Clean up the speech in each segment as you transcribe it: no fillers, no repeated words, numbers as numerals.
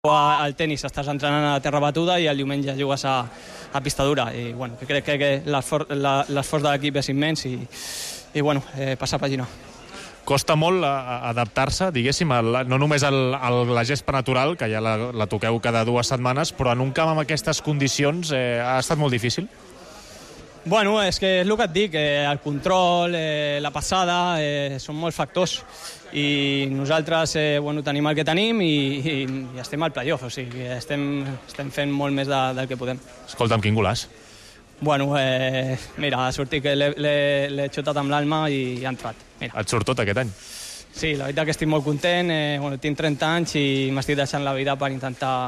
Al tenis estàs entrenant a terra batuda i el diumenge jugues a pista dura i bueno, crec que l'esforç de l'equip és immens i passar pàgina. Costa molt adaptar-se, diguéssim, no només a la gespa natural, que ja la toqueu cada 2 setmanes, però en un camp amb aquestes condicions ha estat molt difícil? Bueno, és que és el que et dic, el control, la passada, són molts factors i nosaltres tenim el que tenim i estem al playoff, o sigui, estem fent molt més del que podem. Escolta'm, quin golaç. Bueno, mira, ha sortit que l'he xutat amb l'alma i ha entrat. Mira. Et surt tot aquest any? Sí, la veritat que estic molt content, tinc 30 anys i m'estic deixant la vida per intentar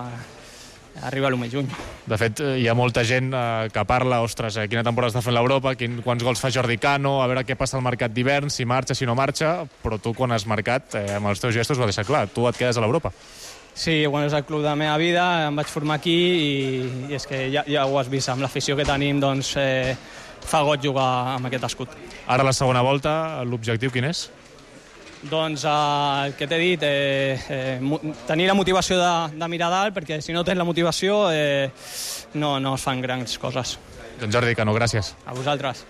arriba a lo més lluny. De fet, hi ha molta gent que parla, ostres, quina temporada està fent l'Europa, quants gols fa Jordi Cano, a veure què passa al mercat d'hivern, si marxa, si no marxa, però tu quan has marcat, amb els teus gestos ho deixar clar, tu et quedes a l'Europa. Sí, és el club de la meva vida, em vaig formar aquí i és que ja ho has vist, amb l'afició que tenim, doncs fa goig jugar amb aquest escut. Ara la segona volta, l'objectiu quin és? Doncs el que t'he dit, tenir la motivació de mirar dalt, perquè si no tens la motivació no es fan grans coses. Doncs Jordi Cano, gràcies. A vosaltres.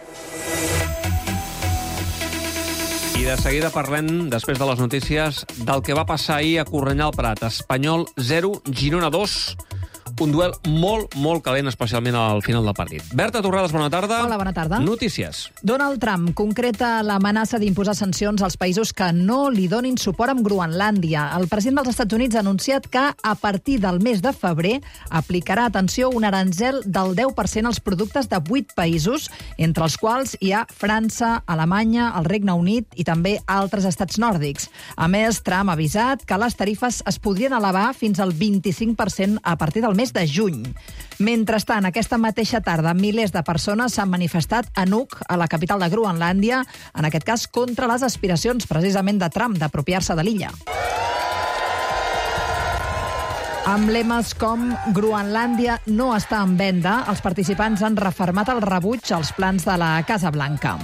I de seguida parlem, després de les notícies, del que va passar ahir a Cornellà al Prat. Espanyol 0, Girona 2. Un duel molt, molt calent, especialment al final del partit. Berta Torrades, bona tarda. Hola, bona tarda. Notícies. Donald Trump concreta l'amenaça d'imposar sancions als països que no li donin suport amb Groenlàndia. El president dels Estats Units ha anunciat que a partir del mes de febrer aplicarà, atenció, un aranzel del 10% als productes de 8 països, entre els quals hi ha França, Alemanya, el Regne Unit i també altres estats nòrdics. A més, Trump ha avisat que les tarifes es podrien elevar fins al 25% a partir del mes de juny. Mentrestant, aquesta mateixa tarda, milers de persones s'han manifestat a Nuuk, a la capital de Groenlàndia, en aquest cas contra les aspiracions precisament de Trump d'apropiar-se de l'illa. Amb lemes com Groenlàndia no està en venda, els participants han refermat el rebuig als plans de la Casa Blanca.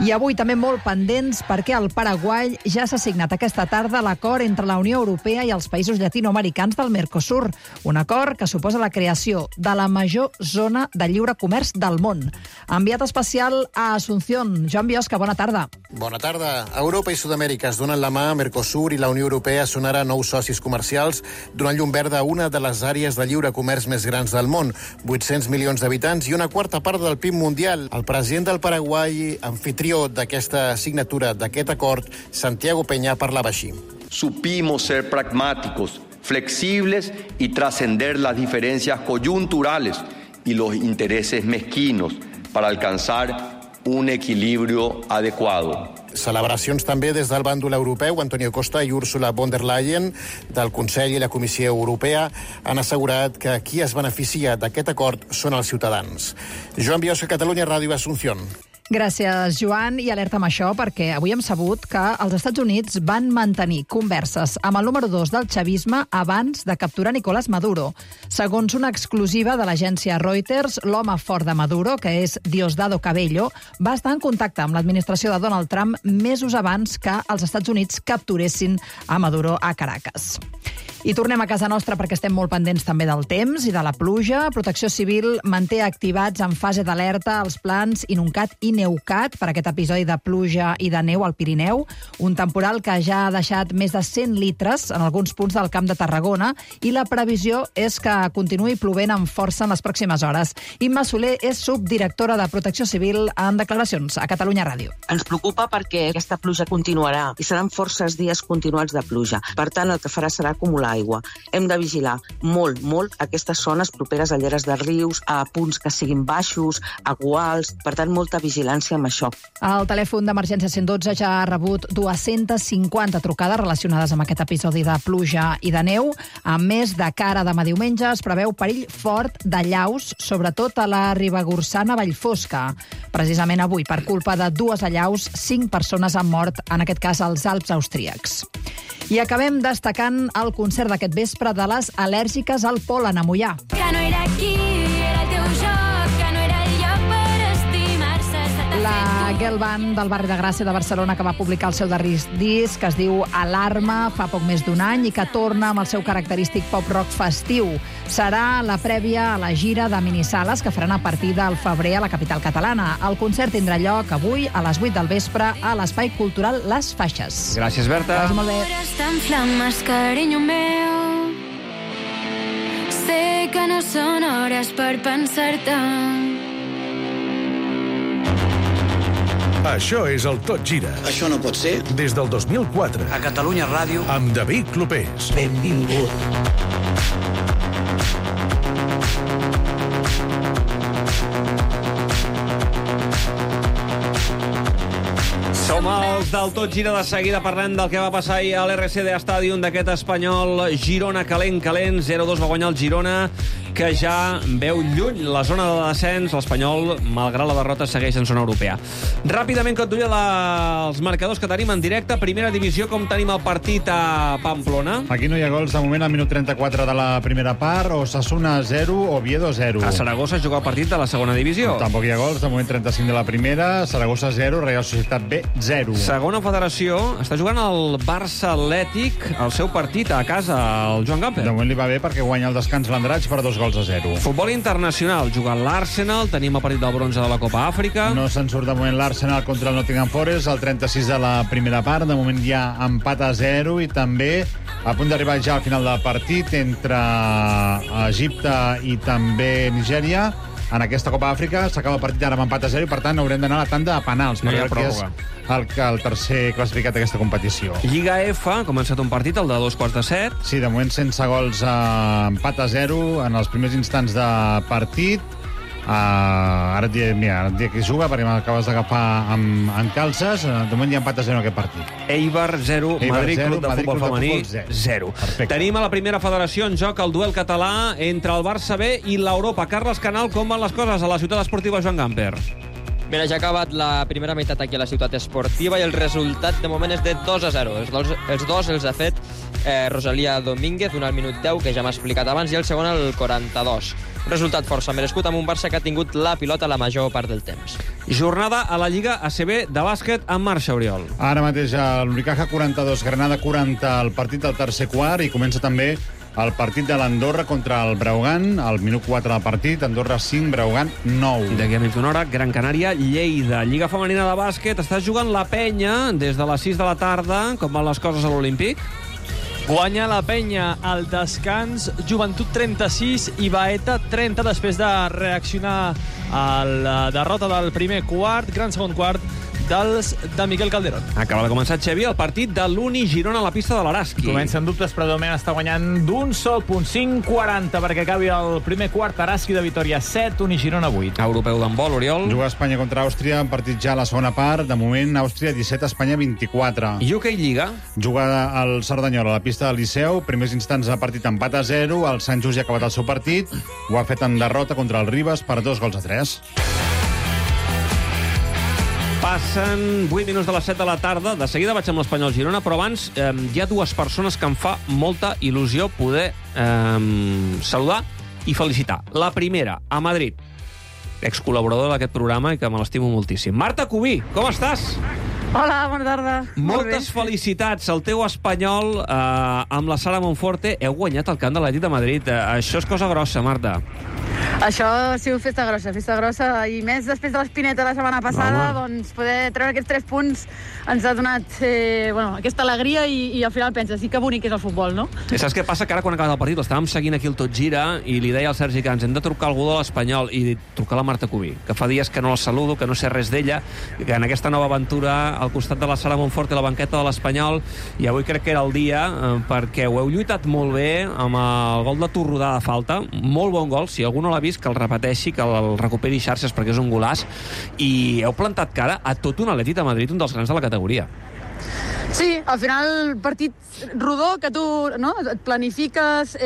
I avui també molt pendents perquè al Paraguai ja s'ha signat aquesta tarda l'acord entre la Unió Europea i els països llatinoamericans del Mercosur, un acord que suposa la creació de la major zona de lliure comerç del món. Enviat especial a Asunción, Joan Biosca, bona tarda. Bona tarda. Europa i Sud-amèrica es donen la mà, Mercosur i la Unió Europea són ara nous socis comercials, donant llum verda a una de les àrees de lliure comerç més grans del món, 800 milions d'habitants i una quarta part del PIB mundial. El president del Paraguai, anfitrió d'aquesta signatura, d'aquest acord, Santiago Peña, parlava així. Supimos ser pragmáticos, flexibles y trascender las diferencias coyunturales y los intereses mezquinos para alcanzar un equilibrio adecuado. Celebracions també des del bàndol europeu. Antonio Costa i Ursula von der Leyen del Consell i la Comissió Europea han assegurat que qui es beneficia d'aquest acord són els ciutadans. Joan Biosca, Catalunya Ràdio, Asunción. Gràcies, Joan, i alerta amb això perquè avui hem sabut que els Estats Units van mantenir converses amb el número 2 del chavisme abans de capturar Nicolás Maduro. Segons una exclusiva de l'agència Reuters, l'home fort de Maduro, que és Diosdado Cabello, va estar en contacte amb l'administració de Donald Trump mesos abans que els Estats Units capturessin a Maduro a Caracas. I tornem a casa nostra perquè estem molt pendents també del temps i de la pluja. Protecció Civil manté activats en fase d'alerta els plans Inuncat i Neucat per aquest episodi de pluja i de neu al Pirineu, un temporal que ja ha deixat més de 100 litres en alguns punts del Camp de Tarragona i la previsió és que continuï plovent amb força en les pròximes hores. Imma Soler és subdirectora de Protecció Civil en declaracions a Catalunya Ràdio. Ens preocupa perquè aquesta pluja continuarà i seran forces dies continuats de pluja. Per tant, el que farà serà acumular aigua. Hem de vigilar molt, molt aquestes zones properes a lleres de rius, a punts que siguin baixos, a guals, per tant, molta vigilància amb això. El telèfon d'emergència 112 ja ha rebut 250 trucades relacionades amb aquest episodi de pluja i de neu. A més, de cara a demà diumenge es preveu perill fort d'allaus, sobretot a la Ribagorçana Vallfosca. Precisament avui, per culpa de 2 allaus, 5 persones han mort, en aquest cas als Alps austríacs. I acabem destacant el concert d'aquest vespre de les al·lèrgiques al pol·len a Moià. Que no era aquí, era el teu joc, que no era el lloc per estimar-se. La girl band del barri de Gràcia de Barcelona, que va publicar el seu darrer disc, que es diu Alarma, fa poc més d'un any, i que torna amb el seu característic pop-rock festiu. Serà la prèvia a la gira de minisales que faran a partir del febrer a la capital catalana. El concert tindrà lloc avui a les 8 del vespre a l'Espai Cultural Les Faixes. Gràcies, Berta. Gràcies, molt bé. Estan flames, carinyo meu. Sé que no són hores per pensar-te. Això és el Tot Gira. Això no pot ser. Des del 2004. A Catalunya Ràdio. Amb David Clopés. Benvingut. Som els del Tot Gira. De seguida parlem del que va passar ahir a l'RCD Stadium d'aquest Espanyol Girona calent. 0-2 va guanyar el Girona, que ja veu lluny la zona de descens. L'Espanyol, malgrat la derrota, segueix en zona europea. Ràpidament, que et duia els marcadors que tenim en directe. Primera divisió, com tenim el partit a Pamplona? Aquí no hi ha gols de moment al minut 34 de la primera part. Osasuna 0, Oviedo 0. A Saragossa juga el partit de la segona divisió. Tampoc hi ha gols, de moment 35 de la primera. Saragossa 0, Real Societat B 0. Segona federació, està jugant el Barça Atlètic el seu partit a casa, el Joan Gamper. De moment li va bé perquè guanya el descans l'Andratx per 2-0. Futbol internacional, juga l'Arsenal, tenim el partit del bronze de la Copa Àfrica. No se'n surt de moment l'Arsenal contra el Nottingham Forest, el 36 de la primera part. De moment hi ha empat a 0 i també a punt d'arribar ja al final del partit entre Egipte i també Nigèria. En aquesta Copa Àfrica s'acaba el partit ara amb empat a 0 i, per tant, haurem d'anar a la tanda de penals. No hi ha perquè és el tercer classificat d'aquesta competició. Lliga F, ha començat un partit, el de 2:15. Sí, de moment sense gols, empat a 0 en els primers instants de partit. Ara et diré qui juga, perquè m'acabes d'agafar amb calces. De moment hi ha empat a 0 en aquest partit. Eibar 0, Madrid Club de Futbol Femení 0. Tenim a la primera federació en joc el duel català entre el Barça B i l'Europa. Carles Canal, com van les coses a la ciutat esportiva Joan Gamper? Mira, ja ha acabat la primera meitat aquí a la ciutat esportiva i el resultat de moment és de 2-0. Els dos els ha fet Rosalía Domínguez, un al minut 10, que ja m'ha explicat abans, i el segon al 42. Un resultat força merescut amb un Barça que ha tingut la pilota la major part del temps. Jornada a la Lliga ACB de bàsquet en marxa, Oriol. Ara mateix l'Unicaja 42, Granada 40, el partit del tercer quart, i comença també el partit de l'Andorra contra el Breogán, al minut 4 del partit, Andorra 5, Breogán 9. I d'aquí a mitja hora, Gran Canària, Lleida. Lliga femenina de bàsquet, està jugant la Penya des de les 6 de la tarda. Com van les coses a l'Olímpic? Guanya la Penya al descans, Joventut 36 i Baeta 30, després de reaccionar a la derrota del primer quart, gran segon quart, de Miquel Calderón. Acaba de començar, Xavi, el partit de l'Uni Girona a la pista de l'Araski. Comencen dubtes, però de moment està guanyant d'un sol punt, 5-40, perquè acabi el primer quart. Araski de Vitoria 7, Uni Girona 8. Europeu d'handbol, Oriol. Juga Espanya contra Àustria, un partit ja a la segona part. De moment, Àustria 17, Espanya 24. I UK Lliga? Juga el Cerdanyola a la pista del Liceu. Primers instants de partit empat a 0. El Sant Just ja ha acabat el seu partit. Ho ha fet en derrota contra el Ribes per 2-3. Passen 8 minuts de les 7 de la tarda. De seguida vaig amb l'Espanyol Girona, però abans hi ha dues persones que em fa molta il·lusió poder saludar i felicitar. La primera, a Madrid, excol·laboradora d'aquest programa i que me l'estimo moltíssim. Marta Cubí, com estàs? Hola, bona tarda. Moltes felicitats. El teu Espanyol amb la Sara Monforte heu guanyat el camp de l'Atlètic de Madrid. Això és cosa grossa, Marta. Això ha sigut festa grossa, i més després de l'Espineta la setmana passada, doncs poder treure aquests 3 punts ens ha donat aquesta alegria i al final penses, sí que bonic és el futbol, no? I saps què passa? Que ara quan ha acabat el partit l'estàvem seguint aquí el Tot Gira i li deia al Sergi que ens hem de trucar algú de l'Espanyol i trucar a la Marta Cubí, que fa dies que no la saludo, que no sé res d'ella, que en aquesta nova aventura al costat de la Sara Monforte i la banqueta de l'Espanyol, i avui crec que era el dia perquè ho heu lluitat molt bé amb el gol de Torrodà de falta, molt bon gol, si algú no l'ha vist que el repeteixi, que el recuperi xarxes perquè és un golaç, i heu plantat cara a tot un Atlètic de Madrid, un dels grans de la categoria. Sí, al final partit rodó que tu et planifiques,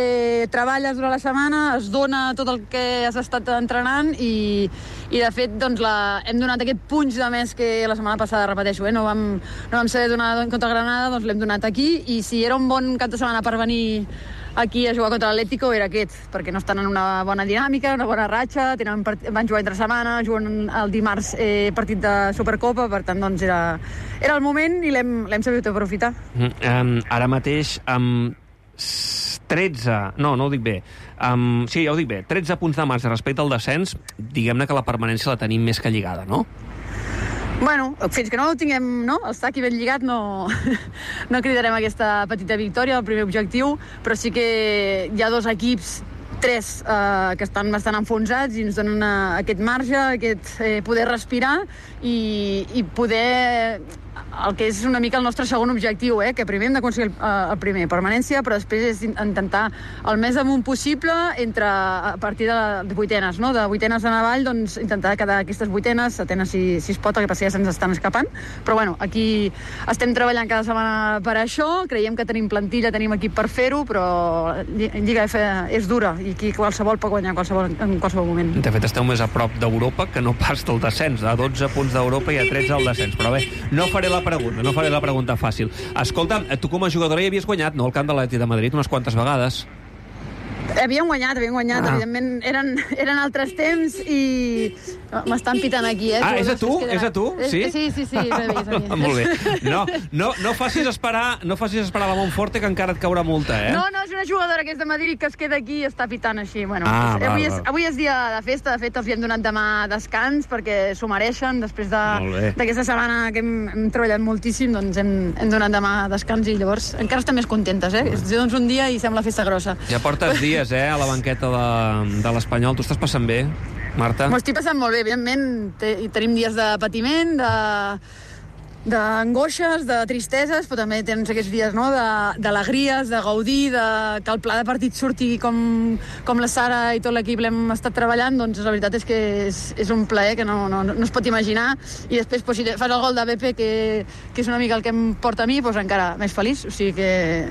treballes durant la setmana, es dona tot el que has estat entrenant i de fet doncs, hem donat aquest punx de més que la setmana passada, repeteixo, no vam saber donar contra Granada, doncs l'hem donat aquí, i si era un bon cap de setmana per venir aquí a jugar contra l'Atlético era aquest, perquè no estan en una bona dinàmica, una bona ratxa, van jugar entre setmana, juguen el dimarts partit de Supercopa, per tant, doncs era el moment i l'hem sabut aprofitar. Ara mateix, amb 13... No ho dic bé. Sí, ja ho dic bé. 13 punts de marge respecte al descens, diguem-ne que la permanència la tenim més que lligada, no? Bueno, fins que no ho tinguem, no? El sac i ben lligat no cridarem aquesta petita victòria, el primer objectiu, però sí que hi ha 2 equips, 3 que estan bastant enfonsats i ens donen aquest marge, aquest poder respirar i poder... El que és una mica el nostre segon objectiu, que primer hem d'aconseguir el primer, permanència, però després és intentar el més amunt possible a partir de vuitenes, no? De vuitenes en avall, doncs intentar quedar aquestes vuitenes, setenes si es pot, el que passa ja se'ns estan escapant. Però bueno, aquí estem treballant cada setmana per això, creiem que tenim plantilla, tenim equip per fer-ho, però Lliga F és dura i aquí qualsevol pot guanyar en qualsevol moment. De fet, esteu més a prop d'Europa que no pas del descens, a 12 punts d'Europa i a 13 al descens. Però bé, no faré la pregunta fàcil. Escolta, tu com a jugadora hi havies guanyat, no?, al camp de l'Atlètic de Madrid unes quantes vegades. Havíem guanyat, evidentment eren altres temps i m'estan pitant aquí, és a tu? És a tu? Sí? Sí, Molt bé. No facis esperar la Montforte, que encara et caurà multa, No, és una jugadora que és de Madrid que es queda aquí i està pitant així. Bueno, avui és dia de festa, de fet els hi hem donat demà descans perquè s'ho mereixen, després d'aquesta setmana que hem treballat moltíssim, doncs hem donat demà descans i llavors encara estem més contentes, És doncs un dia i sembla festa grossa. Ja portes dies, a la banqueta de l'Espanyol. Tu estàs passant bé, Marta? M'ho estic passant molt bé, evidentment. Tenim dies de patiment, d'angoixes, de tristeses, però també tens aquests dies d'alegries, de gaudir, que el pla de partit surti com la Sara i tot l'equip l'hem estat treballant, doncs la veritat és que és un plaer que no es pot imaginar, i després si fas el gol de BP, que és una mica el que em porta a mi, doncs encara més feliç. O sigui que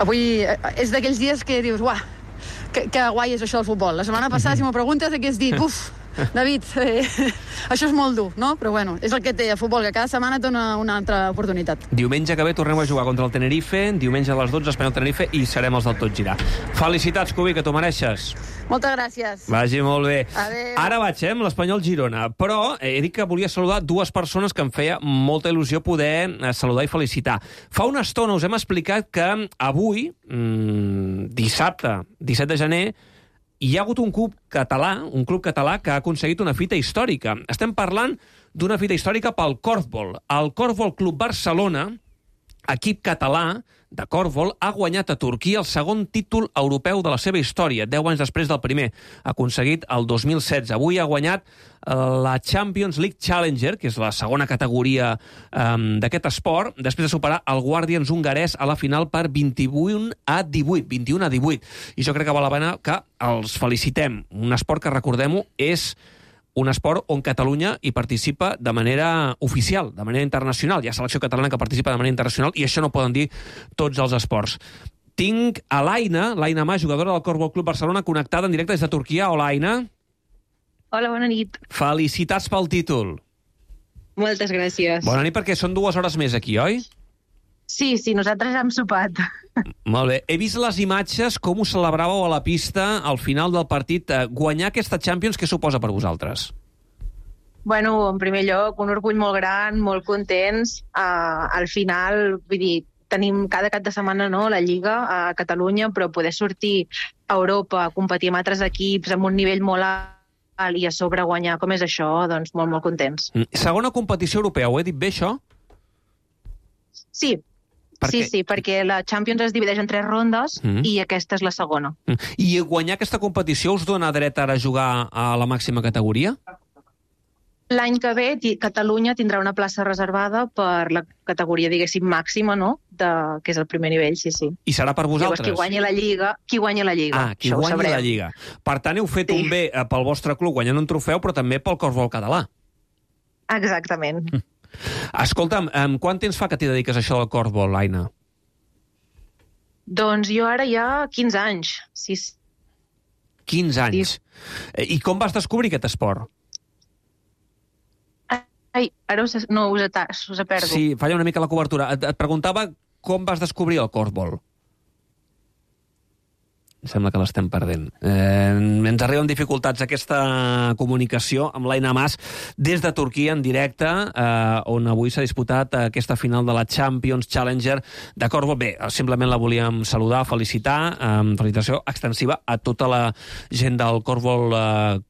avui és d'aquells dies que dius, uah, que guai és això del futbol. La setmana passada, si m'ho preguntes, hagués dit, David, això és molt dur, no? Però bueno, és el que té el futbol, que cada setmana et dona una altra oportunitat. Diumenge que ve tornem a jugar contra el Tenerife, diumenge a les 12, Espanyol-Tenerife, i serem els del Tot Girar. Felicitats, Cubi, que t'ho mereixes. Moltes gràcies. Vagi molt bé. Adéu. Ara vaig, amb l'Espanyol-Girona. Però he dit que volia saludar 2 persones que em feia molta il·lusió poder saludar i felicitar. Fa una estona us hem explicat que avui, dissabte, 17 de gener, hi ha hagut un club català que ha aconseguit una fita històrica. Estem parlant d'una fita històrica pel Korfball. El Korfball Club Barcelona, equip català de Korfball, ha guanyat a Turquia el segon títol europeu de la seva història, 10 anys després del primer, aconseguit el 2016. Avui ha guanyat la Champions League Challenger, que és la segona categoria d'aquest esport, després de superar el Guardians hongarès a la final per 21 a 18. I jo crec que val la pena que els felicitem. Un esport que, recordem-ho, és un esport on Catalunya hi participa de manera oficial, de manera internacional. Hi ha selecció catalana que participa de manera internacional i això no poden dir tots els esports. Tinc a l'Aina Mà, jugadora del Korfball Club Barcelona, connectada en directe des de Turquia. Hola, Aina. Hola, bona nit. Felicitats pel títol. Moltes gràcies. Bona nit, perquè són 2 hores més aquí, oi? Sí, nosaltres hem sopat. Molt bé. He vist les imatges, com us celebràveu a la pista al final del partit. Guanyar aquesta Champions, què suposa per vosaltres? Bueno, en primer lloc, un orgull molt gran, molt contents. Al final, vull dir, tenim cada cap de setmana la Lliga a Catalunya, però poder sortir a Europa, competir amb altres equips amb un nivell molt alt i a sobre guanyar, com és això, doncs molt, molt contents. Segona competició europea, ho he dit bé, això? Sí, perquè la Champions es divideix en 3 rondes i aquesta és la segona. I guanyar aquesta competició us dona dret ara a jugar a la màxima categoria? L'any que ve Catalunya tindrà una plaça reservada per la categoria, diguéssim, màxima, no? Que és el primer nivell, sí. I serà per vosaltres? Llavors, qui guanyi la Lliga. Qui guanyi la Lliga. Per tant, heu fet un bé pel vostre club guanyant un trofeu, però també pel Korfball català. Exactament. Escolta'm, quant temps fa que t'hi dediques a això del Korfball, Aina? Doncs jo ara ja 15 anys. 15 anys. I com vas descobrir aquest esport? Ai, ara us perdo. Sí, falla una mica la cobertura. Et preguntava com vas descobrir el Korfball. sembla que l'estem perdent. Ens arriben dificultats aquesta comunicació amb l'Aina Mas des de Turquia en directe, on avui s'ha disputat aquesta final de la Champions Challenger de Corfbol. Bé, simplement la volíem saludar, felicitar, felicitació extensiva a tota la gent del Corfbol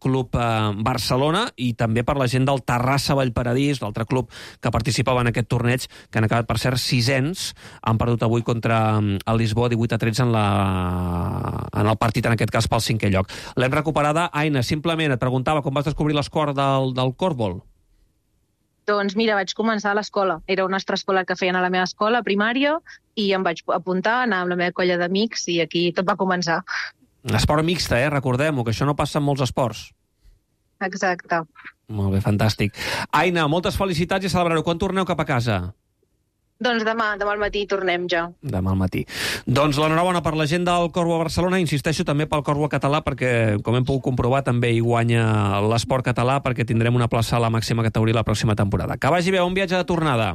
Club Barcelona i també per la gent del Terrassa Vallparadís, l'altre club que participava en aquest torneig, que han acabat, per cert, 600, han perdut avui contra el Lisboa 18-13 en el partit, en aquest cas, pel 5è lloc. L'hem recuperada. Aina, simplement et preguntava com vas descobrir l'esport del Corfbol. Doncs mira, vaig començar a l'escola. Era una extraescola que feien a la meva escola primària i em vaig apuntar, anar amb la meva colla d'amics i aquí tot va començar. Esport mixta, recordem-ho, que això no passa en molts esports. Exacte. Molt bé, fantàstic. Aina, moltes felicitats i celebrar-ho. Quan torneu cap a casa? Doncs demà al matí tornem ja. Demà al matí. Doncs l'enhorabona per la gent del Corfbol Barcelona, insisteixo també pel Corfbol català, perquè, com hem pogut comprovar, també hi guanya l'esport català, perquè tindrem una plaça a la màxima categoria la pròxima temporada. Que vagi bé, un viatge de tornada.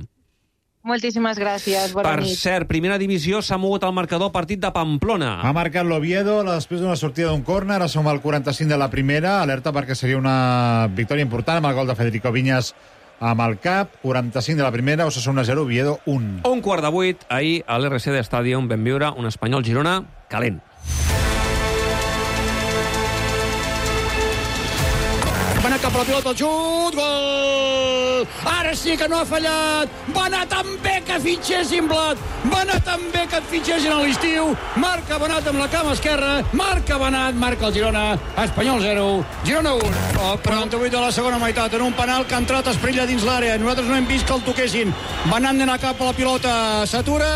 Moltíssimes gràcies, bona nit. Per cert, primera divisió, s'ha mogut el marcador partit de Pamplona. Ha marcat l'Oviedo després d'una sortida d'un córner, ara som al 45 de la primera, alerta perquè seria una victòria important amb el gol de Federico Viñas amb el cap, 45 de la primera, Osasuna 0, Oviedo 1. 7:15, ahir a l'RCD Stadium vam viure un Espanyol-Girona calent. Va anar cap a la pilota, el xut, gol! Ara sí que no ha fallat! Va anar tan bé que fitxessin Blat! Va anar tan bé que et fitxessin a l'estiu! Marca Benat amb la cama esquerra, marca Benat, marca el Girona, Espanyol 0, Girona 1. Oh, 48 de la segona meitat, en un penal que ha entrat Esprilla dins l'àrea. Nosaltres no hem vist que el toquessin. Benat d'anar cap a la pilota, s'atura,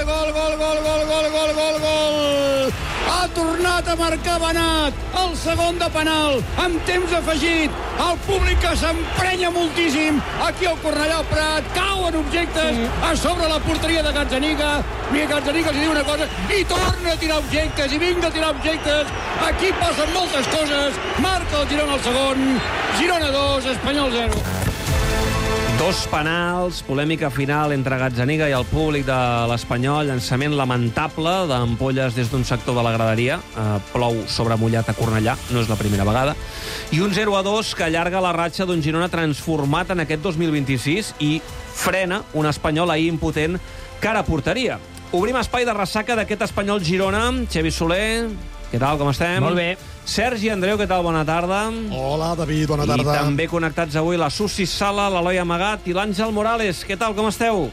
gol, gol, gol, gol, gol, gol, gol, gol! Ha tornat a marcar Benat, el segon de penal, amb temps afegit. El públic que s'emprenya moltíssim. Aquí al Cornellà al Prat, cauen objectes a sobre la porteria de Gazzaniga. I Gazzaniga els diu una cosa i torna a tirar objectes, i vinga a tirar objectes. Aquí passen moltes coses. Marca el Girona al segon, Girona 2, Espanyol 0. 2 penals, polèmica final entre Gazzaniga i el públic de l'Espanyol, llançament lamentable d'ampolles des d'un sector de la graderia, plou sobre mullat a Cornellà, no és la primera vegada, i un 0-2 que allarga la ratxa d'un Girona transformat en aquest 2026 i frena un Espanyol ahir impotent cara a porteria. Obrim espai de ressaca d'aquest Espanyol-Girona. Xavi Soler, què tal, com estem? Molt bé. Sergi Andreu, què tal? Bona tarda. Hola, David, bona tarda. I també connectats avui la Susi Sala, l'Eloi Amagat i l'Àngel Morales. Què tal, com esteu?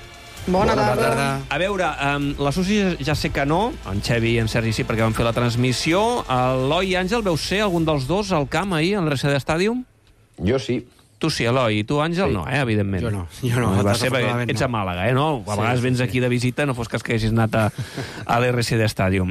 Bona tarda. A veure, la Susi ja sé que no, en Xavi i en Sergi sí, perquè van fer la transmissió. Eloi i Àngel, veu ser algun dels dos al camp ahir, al RCD Stadium? Jo sí. Tu sí, Eloi. I tu, Àngel, sí. No, evidentment. Jo no. Va ser perquè ets a Màlaga, no? A vegades vens aquí de visita, no fos cas que hagis anat a l'RCD Stadium.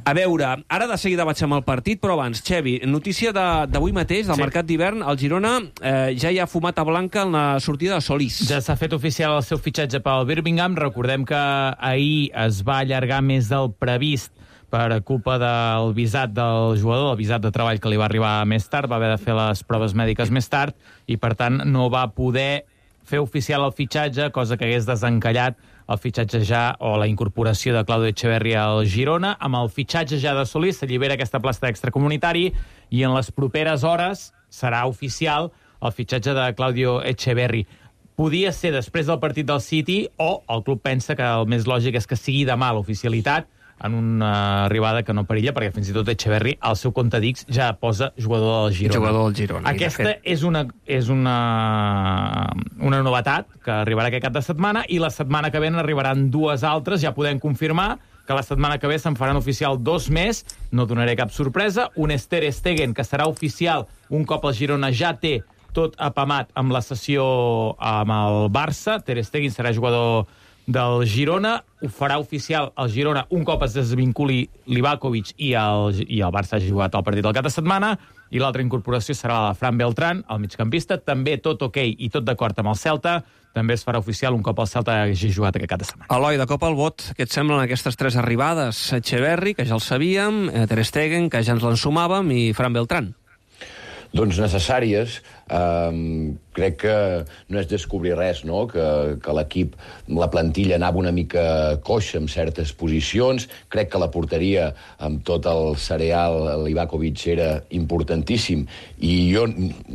A veure, ara de seguida vaig amb el partit, però abans, Xavi, notícia d'avui mateix, del mercat d'hivern, el Girona ja hi ha fumat a blanca en la sortida de Solís. Ja s'ha fet oficial el seu fitxatge pel Birmingham. Recordem que ahir es va allargar més del previst per culpa del visat del jugador, el visat de treball que li va arribar més tard, va haver de fer les proves mèdiques més tard i, per tant, no va poder fer oficial el fitxatge, cosa que hagués desencallat el fitxatge ja o la incorporació de Claudio Echeverri al Girona. Amb el fitxatge ja de Solís s'allibera aquesta plaça d'extracomunitari i en les properes hores serà oficial el fitxatge de Claudio Echeverri. Podia ser després del partit del City o el club pensa que el més lògic és que sigui demà l'oficialitat en una arribada que no perilla, perquè fins i tot Echeverri, al seu compte d'X, ja posa jugador del Girona. Jugador del Girona. Aquesta és una novetat que arribarà aquest cap de setmana, i la setmana que ve n'arribaran 2 altres. Ja podem confirmar que la setmana que ve se'n faran oficial 2 més. No donaré cap sorpresa. Un és Ter Stegen, que serà oficial un cop el Girona ja té tot apamat amb la sessió amb el Barça. Ter Stegen serà jugador del Girona, ho farà oficial el Girona un cop es desvinculi Livakovic i el Barça hagi jugat el partit del cap de setmana, i l'altra incorporació serà la de Fran Beltrán, el migcampista, també tot ok i tot d'acord amb el Celta, també es farà oficial un cop el Celta hagi jugat aquest cap de setmana. Eloi, de cop al vot, què et semblen aquestes 3 arribades? Echeverri, que ja el sabíem, Ter Stegen, que ja ens l'ensumàvem, i Fran Beltrán. Doncs necessàries. crec que no és descobrir res, no? Que l'equip, la plantilla anava una mica coixa en certes posicions. Crec que la porteria, amb tot el cereal, l'Ivakovic era importantíssim, i jo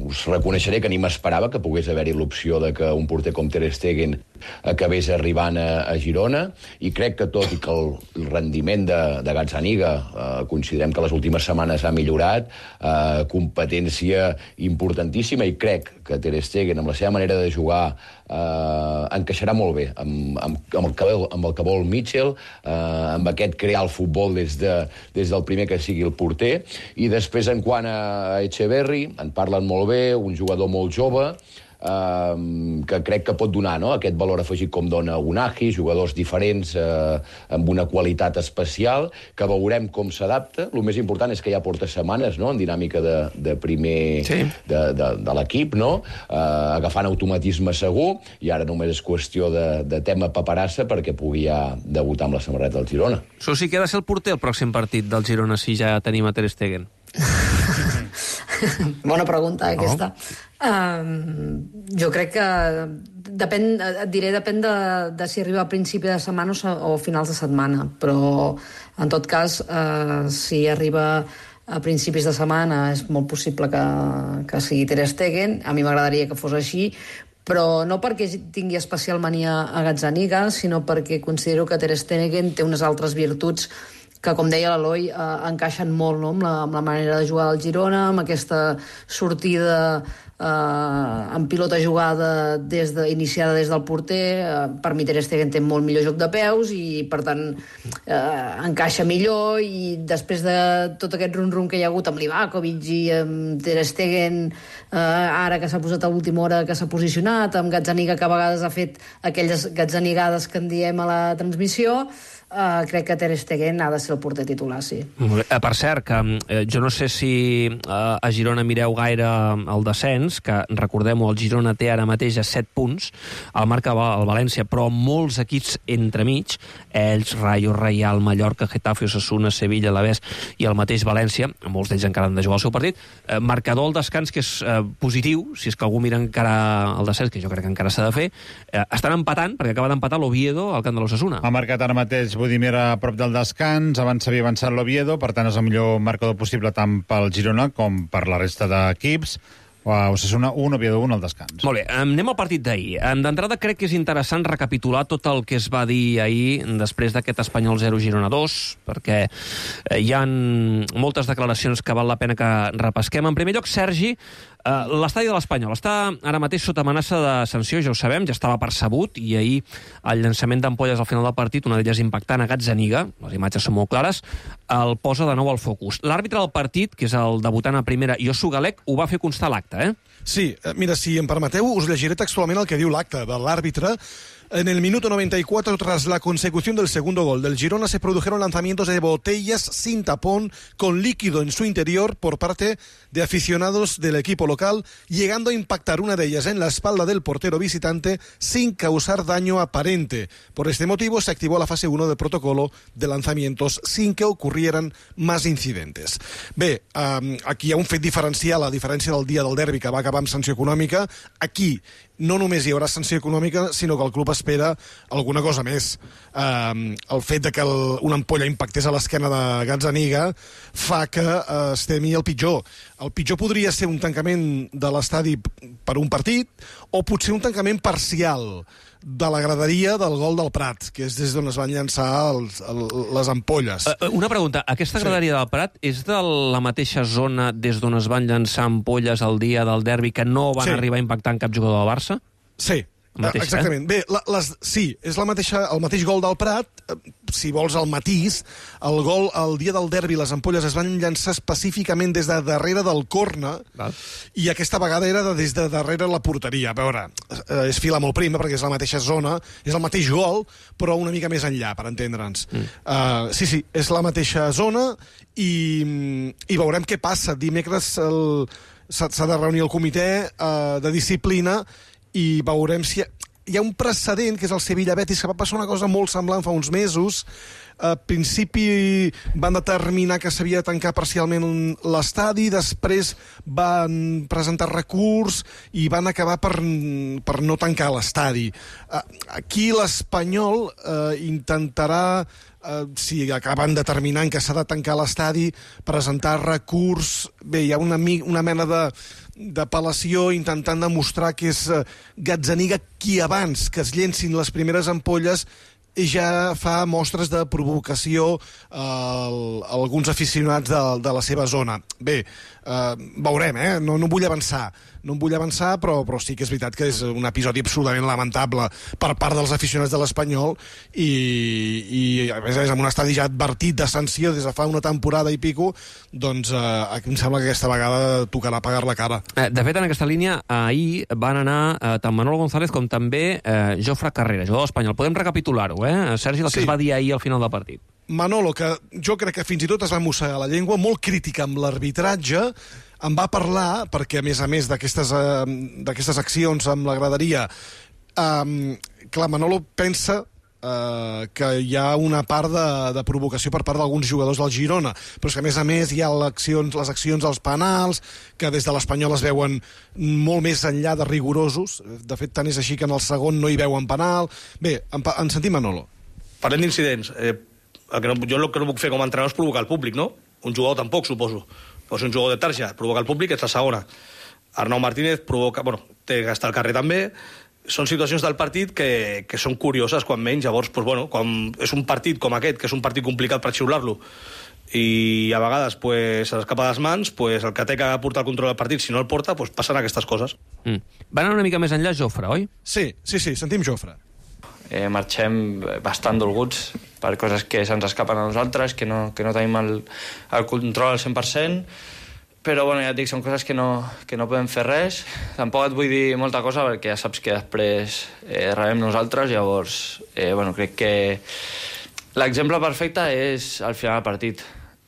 us reconeixeré que ni m'esperava que pogués haver-hi l'opció de que un porter com Ter Stegen acabés arribant a Girona, i crec que tot i que el rendiment de Gazzaniga considerem que les últimes setmanes ha millorat, competència importantíssima, i crec que Ter Stegen, amb la seva manera de jugar, encaixarà molt bé amb el que vol Mitchell, amb aquest crear el futbol des del primer que sigui el porter. I després, en quant a Echeverri, en parlen molt bé, un jugador molt jove, que crec que pot donar, no?, aquest valor afegit com dona Unai, jugadors diferents amb una qualitat especial, que veurem com s'adapta. El més important és que ja porta setmanes, no?, en dinàmica de primer de l'equip, no?, agafant automatisme segur, i ara només és qüestió de tema paperassa perquè pugui ja debutar amb la samarreta del Girona. Això sí que ha de ser el porter el pròxim partit del Girona, si ja tenim a Ter Stegen. Bona pregunta, aquesta. Jo crec que depèn de si arriba a principi de setmana o finals de setmana, però en tot cas, si arriba a principis de setmana, és molt possible que sigui Ter Stegen. A mi m'agradaria que fos així, però no perquè tingui especial mania a Gazzaniga, sinó perquè considero que Ter Stegen té unes altres virtuts que, com deia l'Eloi, encaixen molt, no?, amb la manera de jugar del Girona, amb aquesta sortida en pilota jugada iniciada des del porter. Per mi Ter Stegen té molt millor joc de peus i, per tant, encaixa millor, i després de tot aquest rum-rum que hi ha hagut amb l'Ivakovic i amb Ter Stegen, ara que s'ha posat a última hora, que s'ha posicionat, amb Gazzaniga, que a vegades ha fet aquelles gazzanigades que en diem a la transmissió, crec que Ter Stegen ha de ser el porter titular, sí. Per cert, que jo no sé si a Girona mireu gaire el descens, que recordem-ho, el Girona té ara mateix a 7 punts, el marca el València, però molts equips entremig, ells, Rayo, Real, Mallorca, Getafe, Osasuna, Sevilla, Alavés i el mateix València, molts d'ells encara han de jugar el seu partit, marcador al descans que és positiu, si és que algú mira encara el descens, que jo crec que encara s'ha de fer, estan empatant, perquè acaba d'empatar l'Oviedo al camp de l'Osasuna. Ha marcat ara mateix Budimir a prop del descans, abans s'havia avançat l'Oviedo, per tant és el millor marcador possible tant pel Girona com per la resta d'equips. Osasuna 1, Oviedo 1 al descans. Molt bé, anem al partit d'ahir. D'entrada crec que és interessant recapitular tot el que es va dir ahir després d'aquest Espanyol 0, Girona 2, perquè hi ha moltes declaracions que val la pena que repesquem. En primer lloc, Sergi, l'estadi de l'Espanyol està ara mateix sota amenaça de sanció, ja ho sabem, ja estava percebut, i ahir el llançament d'ampolles al final del partit, una d'elles impactant a Gazzaniga, les imatges són molt clares, el posa de nou al focus. L'àrbitre del partit, que és el debutant a primera, Josu Galec, ho va fer constar a l'acte, Sí, mira, si em permeteu, us llegiré textualment el que diu l'acte de l'àrbitre. En el minuto 94, tras la consecución del segundo gol del Girona, se produjeron lanzamientos de botellas sin tapón con líquido en su interior por parte de aficionados del equipo local, llegando a impactar una de ellas en la espalda del portero visitante sin causar daño aparente. Por este motivo se activó la fase 1 del protocolo de lanzamientos sin que ocurrieran más incidentes. Bé, aquí hi ha un fet diferencial, a diferència del dia del derbi que va acabar amb sanció econòmica. Aquí no només hi haurà sanció econòmica, sinó que el club espera alguna cosa més. El fet de que una ampolla impactés a l'esquena de Gazzaniga fa que es temi el pitjor. El pitjor podria ser un tancament de l'estadi per un partit, o potser un tancament parcial de la graderia del gol del Prat, que és des d'on es van llançar les ampolles. Una pregunta, aquesta graderia del Prat és de la mateixa zona des d'on es van llançar ampolles el dia del derbi, que no van arribar a impactar en cap jugador del Barça? Sí, exactament. Bé, sí, és el mateix gol del Prat. Si vols el matís, el dia del derbi les ampolles es van llançar específicament des de darrere del córner, i aquesta vegada era des de darrere la porteria. A veure, és fila molt prima perquè és la mateixa zona, és el mateix gol, però una mica més enllà, per entendre'ns. Sí, és la mateixa zona, i veurem què passa. Dimecres s'ha de reunir el comitè de disciplina i veurem si hi ha un precedent, que és el Sevilla-Betis, que va passar una cosa molt semblant fa uns mesos. A principi van determinar que s'havia de tancar parcialment l'estadi, després van presentar recurs i van acabar per no tancar l'estadi. Aquí l'Espanyol intentarà, si acaben determinant que s'ha de tancar l'estadi, presentar recurs. Bé, hi ha una mena d'apel·lació intentant demostrar que és Gazzaniga qui abans que es llencin les primeres ampolles ja fa mostres de provocació a alguns aficionats de la seva zona. Bé, veurem, no vull avançar, però sí que és veritat que és un episodi absolutament lamentable per part dels aficionats de l'Espanyol i a més amb un estadi ja advertit de sanció des de fa una temporada i pico, doncs em sembla que aquesta vegada tocarà pagar la cara. De fet, en aquesta línia, ahir van anar tant Manolo González com també Jofre Carrera, jugador espanyol. Podem recapitular-ho, Sergi, el que es va dir ahir al final del partit. Manolo, que jo crec que fins i tot es va mossegar la llengua, molt crítica amb l'arbitratge, en va parlar, perquè a més d'aquestes accions amb la graderia, clar, Manolo pensa que hi ha una part de provocació per part d'alguns jugadors del Girona, però és que a més hi ha les accions als penals, que des de l'Espanyol es veuen molt més enllà de rigorosos. De fet, tant és així que en el segon no hi veuen penal. Bé, en sentim Manolo. Parlem d'incidents. Jo el que no puc fer com a entrenador és provocar el públic, no? Un jugador tampoc, suposo. Però si un jugador de tarja provoca el públic, és la segona. Arnau Martínez provoca... té que estar al carrer també. Són situacions del partit que són curioses, quan menys. Llavors, quan és un partit com aquest, que és un partit complicat per xiular-lo, i a vegades s'escapa de les mans, el que té que portar el control del partit, si no el porta, passen aquestes coses. Van anar una mica més enllà, Jofre, oi? Sí, sentim Jofre. Marxem bastant dolguts per coses que se'ns escapen a nosaltres, que no tenim el control al 100%, però ja et dic, són coses que no podem fer res. Tampoc et vull dir molta cosa perquè ja saps que després rebem nosaltres, llavors crec que l'exemple perfecte és al final del partit.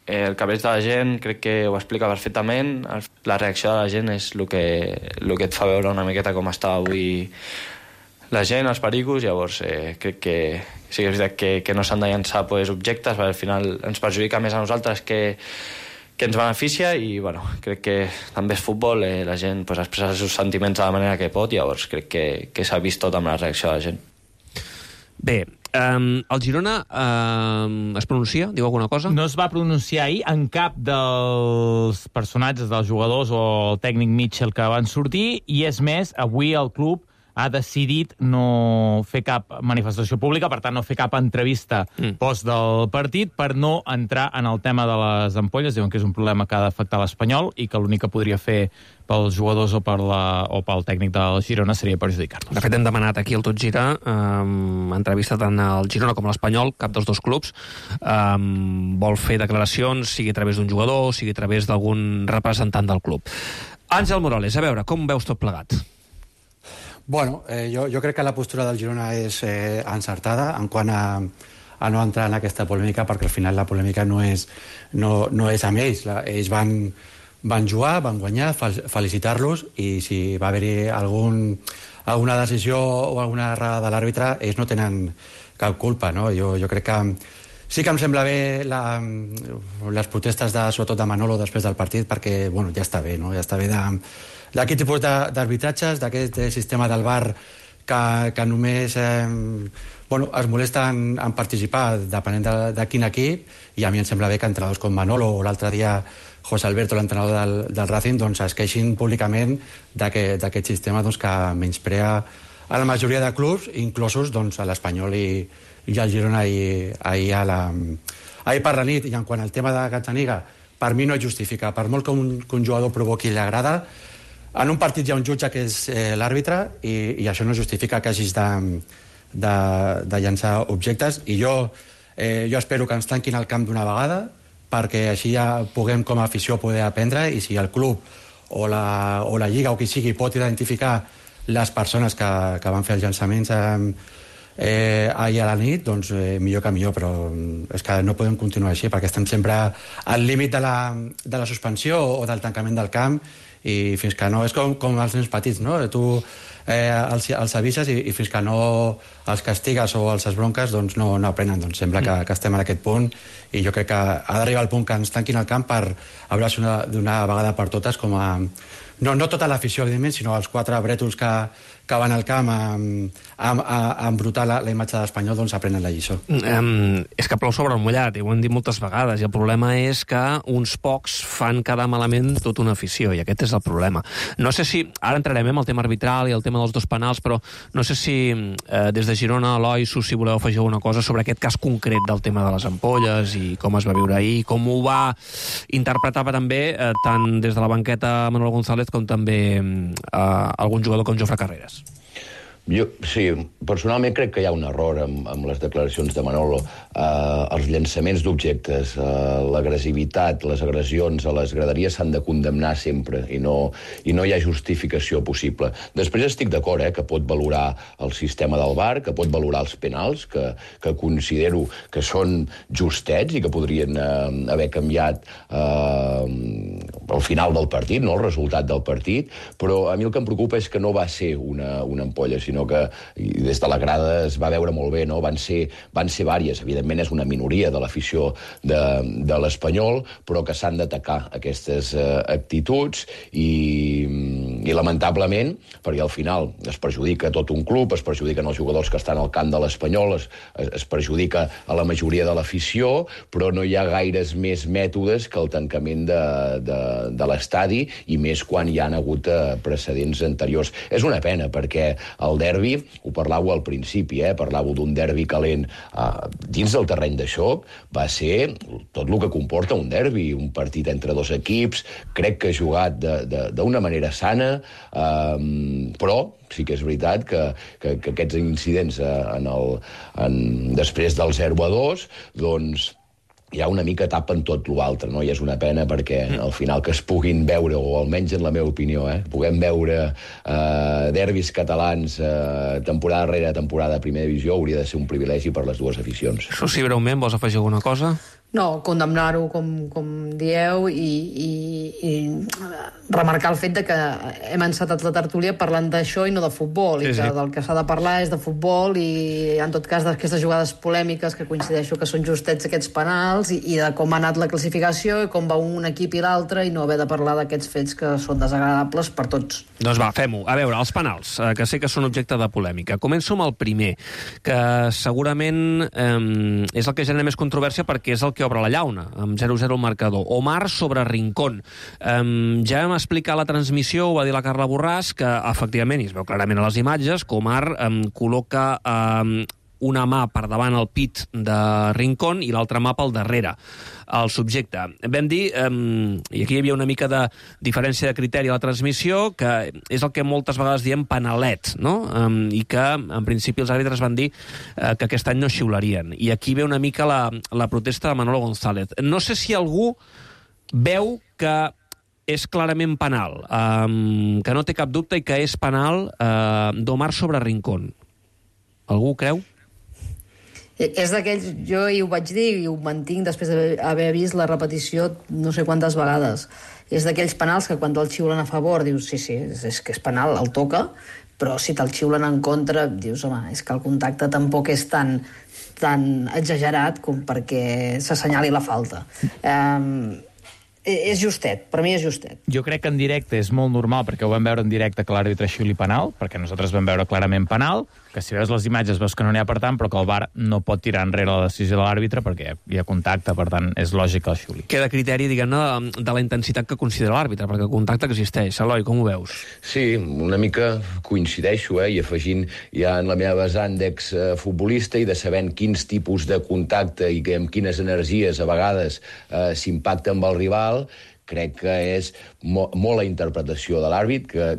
El cabell de la gent crec que ho explica perfectament. La reacció de la gent és el que et fa veure una miqueta com està avui la gent, els pericos. Llavors crec que sí que és veritat que no s'han de llançar objectes, perquè al final ens perjudica més a nosaltres que ens beneficia, i crec que també és futbol, la gent expressa els seus sentiments de la manera que pot, llavors crec que s'ha vist tot amb la reacció de la gent. Bé, el Girona es pronuncia? Diu alguna cosa? No es va pronunciar ahir en cap dels personatges, dels jugadors o el tècnic Mitchell que van sortir, i és més, avui el club ha decidit no fer cap manifestació pública, per tant, no fer cap entrevista post del partit, per no entrar en el tema de les ampolles. Diuen que és un problema que ha d'afectar l'Espanyol i que l'únic que podria fer pels jugadors o pel tècnic del Girona seria perjudicar-los. De fet, hem demanat aquí al Tot Gira entrevista tant al Girona com a l'Espanyol, cap dels dos clubs vol fer declaracions, sigui a través d'un jugador, sigui a través d'algun representant del club. Àngel Morales, a veure, com veus tot plegat? Jo crec que la postura del Girona és encertada en quant a no entrar en aquesta polèmica, perquè al final la polèmica no és amb ells. Ells van jugar, van guanyar, felicitar-los, i si va haver-hi alguna decisió o alguna errada de l'àrbitre, ells no tenen cap culpa, no? Jo crec que sí que em sembla bé les protestes sobretot de Manolo després del partit, perquè ja està bé, no? Ja està bé d'aquest tipus d'arbitratges, d'aquest sistema del VAR que només es molesta en participar depenent de quin equip, i a mi em sembla bé que entrenadors com Manolo o l'altre dia José Alberto, l'entrenador del Racing, es queixin públicament d'aquest sistema que menysprea a la majoria de clubs, inclosos a l'Espanyol i al Girona ahir per la nit. I en quant al tema de Gazzaniga, per mi no es justifica. Per molt que un jugador provoqui la grada, en un partit hi ha un jutge que és l'àrbitre, i això no justifica que hagis de llançar objectes. I jo espero que ens tanquin el camp d'una vegada, perquè així ja puguem com a afició poder aprendre, i si el club o la Lliga o qui sigui pot identificar les persones que van fer els llançaments ahir a la nit, doncs millor que millor, però és que no podem continuar així, perquè estem sempre al límit de la suspensió o del tancament del camp, i fins que no... És com els nens petits, no? Tu els avises i fins que no els castigues o els esbronques, doncs no aprenen. Doncs sembla que estem en aquest punt i jo crec que ha d'arribar el punt que ens tanquin el camp per hablar d'una vegada per totes com a... No tota l'afició, evidentment, sinó els 4 brètols que van al camp a embrutar la imatge d'Espanyol, doncs aprenen la lliçó. És que plou sobre el mullat, i ho hem dit moltes vegades, i el problema és que uns pocs fan quedar malament tota una afició, i aquest és el problema. No sé si... Ara entrarem en el tema arbitral i el tema dels 2 penals, però no sé si des de Girona, Eloi, si voleu afegir alguna cosa sobre aquest cas concret del tema de les ampolles i com es va viure ahir, com ho va interpretar també tant des de la banqueta Manolo González com també algun jugador com Jofre Carreras. Sí, personalment crec que hi ha un error amb les declaracions de Manolo. Els llançaments d'objectes, l'agressivitat, les agressions a les graderies s'han de condemnar sempre i no hi ha justificació possible. Després estic d'acord que pot valorar el sistema del VAR, que pot valorar els penals, que considero que són justets i que podrien haver canviat al final del partit, no el resultat del partit, però a mi el que em preocupa és que no va ser una ampolla, sinó que des de la grada es va veure molt bé, no? Van ser vàries. Evidentment és una minoria de l'afició de l'Espanyol, però que s'han d'atacar aquestes actituds i lamentablement, perquè al final es perjudica tot un club, es perjudiquen els jugadors que estan al camp de l'Espanyol, es perjudica a la majoria de l'afició, però no hi ha gaires més mètodes que el tancament de l'estadi, i més quan hi han hagut precedents anteriors. És una pena, perquè el derbi, ho parlàveu al principi, parlàveu d'un derbi calent dins del terreny de xoc, va ser tot el que comporta un derbi, un partit entre 2 equips, crec que jugat d'una manera sana, però sí que és veritat que aquests incidents després del 0-2, doncs hi ha una mica tapen tot l'altre, no? I és una pena perquè al final que es puguin veure, o almenys en la meva opinió, puguem veure derbis catalans temporada rere temporada a primera divisió hauria de ser un privilegi per les 2 aficions. Susi, breument, vols afegir alguna cosa? No, condemnar-ho, com dieu, i remarcar el fet de que hem encetat la tertúlia parlant d'això i no de futbol, i que del que s'ha de parlar és de futbol, i en tot cas d'aquestes jugades polèmiques que coincideixo que són justets aquests penals, i de com ha anat la classificació i com va un equip i l'altre, i no haver de parlar d'aquests fets que són desagradables per tots. Doncs va, fem-ho. A veure, els penals, que sé que són objecte de polèmica. Començo amb el primer, que segurament és el que genera més controvèrsia perquè és el que obre la llauna, amb 0-0 el marcador. Omar sobre Rincón. Ja vam explicar a la transmissió, ho va dir la Carla Borràs, que efectivament, i es veu clarament a les imatges, que Omar col·loca una mà per davant el pit de Rincón i l'altra mà pel darrere el subjecte. Vam dir, i aquí hi havia una mica de diferència de criteri a la transmissió, que és el que moltes vegades diem panalet, no? I que, en principi, els àrbitres van dir que aquest any no xiularien. I aquí ve una mica la protesta de Manolo González. No sé si algú veu que és clarament penal, que no té cap dubte i que és penal d'Omar sobre Rincón. Algú ho creu? És d'aquells, jo hi ho vaig dir i ho mantinc després d'haver vist la repetició no sé quantes vegades. És d'aquells penals que quan te'l xiulen a favor dius sí, és que és penal, el toca, però si te'l xiulen en contra dius, home, és que el contacte tampoc és tan exagerat com perquè s'assenyali la falta. És justet, per mi és justet. Jo crec que en directe és molt normal, perquè ho vam veure en directe que l'àrbitre xiuli penal, perquè nosaltres vam veure clarament penal, que si veus les imatges veus que no n'hi ha per tant, però que el VAR no pot tirar enrere la decisió de l'àrbitre perquè hi ha contacte, per tant, és lògic que el xiuli. Queda criteri, diguem-ne, de la intensitat que considera l'àrbitre, perquè el contacte existeix. Eloi, com ho veus? Sí, una mica coincideixo, i afegint ja en la meva vessant d'exfutbolista i de sabent quins tipus de contacte i amb quines energies a vegades s'impacta amb el rival, crec que és molt la interpretació de l'àrbit, que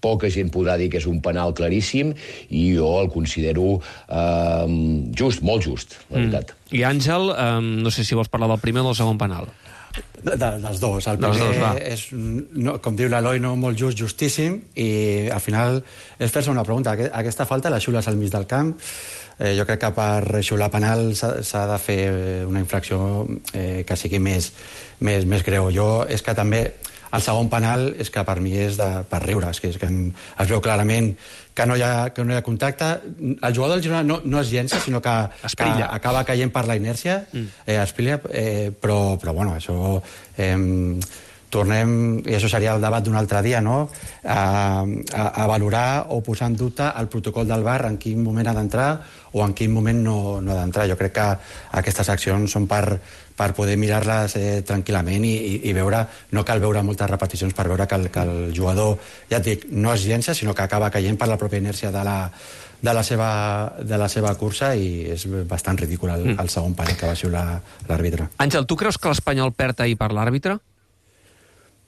poca gent podrà dir que és un penal claríssim, i jo el considero just, molt just, la veritat. I Àngel, no sé si vols parlar del primer o del segon penal. Dels dos. El primer és, com diu l'Eloi, molt just, justíssim, i al final és fer-se una pregunta. Aquesta falta la xiules al mig del camp. Jo crec que per xiular penal s'ha de fer una infracció que sigui més greu. És que també El segon penal és que per mi és per riure, és que es veu clarament que no hi ha contacte. El jugador del Girona no es llença, sinó que acaba caient per la inèrcia, espilla, però bueno, això... tornem, i això seria el debat d'un altre dia, no? A valorar o posar en dubte el protocol del VAR, en quin moment ha d'entrar o en quin moment no ha d'entrar. Jo crec que aquestes accions són per poder mirar-les tranquil·lament i veure, no cal veure moltes repeticions per veure que el jugador, ja et dic, no es llença, sinó que acaba caient per la pròpia inèrcia de la seva cursa, i és bastant ridícul el segon penal que va xiular l'àrbitre. Àngel, tu creus que l'Espanyol perd ahir per l'àrbitre?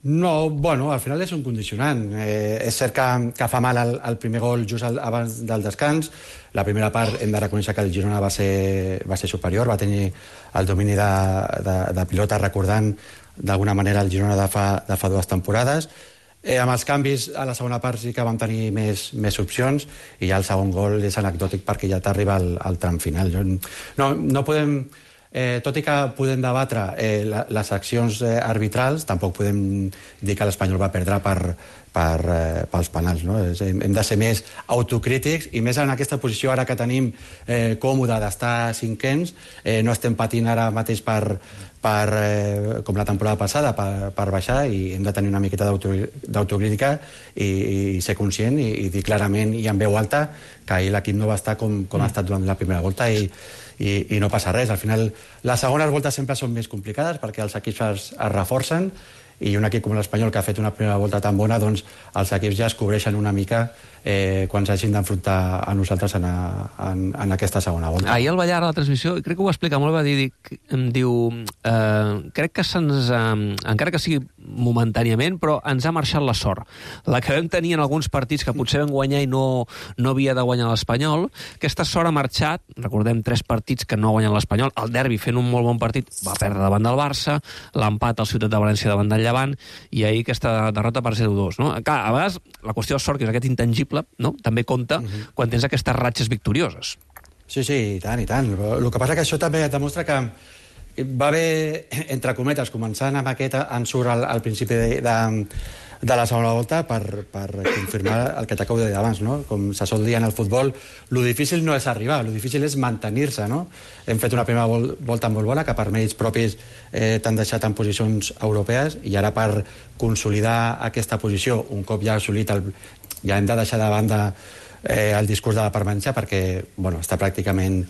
No, bueno, al final és un condicionant. És cert que fa mal el primer gol just abans del descans. La primera part hem de reconèixer que el Girona va ser superior, va tenir el domini de pilota, recordant d'alguna manera el Girona de fa 2 temporades. Amb els canvis a la segona part sí que vam tenir més opcions, i ja el segon gol és anecdòtic perquè ja t'arriba al tram final. No podem... tot i que podem debatre les accions arbitrals, tampoc podem dir que l'Espanyol va perdre pels penals, no? Hem de ser més autocrítics, i més en aquesta posició ara que tenim còmode d'estar cinquens. No estem patint ara mateix com la temporada passada per baixar, i hem de tenir una miqueta d'autocrítica i ser conscient i dir clarament i en veu alta que ahir l'equip no va estar com ha estat durant la primera volta, i no passa res. Al final, les segones voltes sempre són més complicades perquè els equips es reforcen, i un equip com l'Espanyol, que ha fet una primera volta tan bona, doncs els equips ja es cobreixen una mica quan s'hagin d'enfrontar a nosaltres en aquesta segona volta. Ahir el Ballar a la transmissió, crec que ho va explicar molt bé, em diu, crec que encara que sigui momentàniament, però ens ha marxat la sort. La que vam tenir en alguns partits que potser vam guanyar i no havia de guanyar l'Espanyol, aquesta sort ha marxat. Recordem 3 partits que no ha guanyat l'Espanyol, el derbi fent un molt bon partit va perdre davant del Barça, l'empat al Ciutat de València davant del Llevant, i ahir aquesta derrota per 0-2. No? Clar, a vegades la qüestió de sort, que és aquest intangible, no? També compta quan tens aquestes ratxes victorioses. Sí, i tant, i tant. El que passa que això també et demostra que va haver, entre cometes, començant amb aquest ensurt al principi de la segona volta per confirmar el que t'acabo de dir abans, no? Com se sol dir en el futbol, lo difícil no és arribar, lo difícil és mantenir-se, no? Hem fet una primera volta molt bona, que per mèrits propis t'han deixat en posicions europees, i ara per consolidar aquesta posició, un cop ja assolit ja hem de deixar de banda el discurs de la permanència, perquè està pràcticament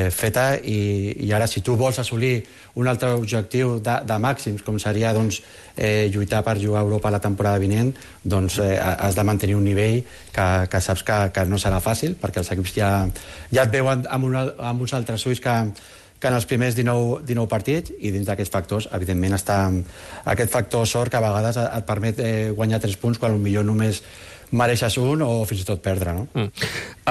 feta, i ara si tu vols assolir un altre objectiu de màxims, com seria lluitar per jugar a Europa la temporada vinent, doncs has de mantenir un nivell que saps que no serà fàcil, perquè els equips ja et veuen amb uns altres ulls que en els primers 19 partits, i dins d'aquests factors, evidentment, està aquest factor sort que a vegades et permet guanyar 3 punts quan potser només mereixes un o fins i tot perdre, no?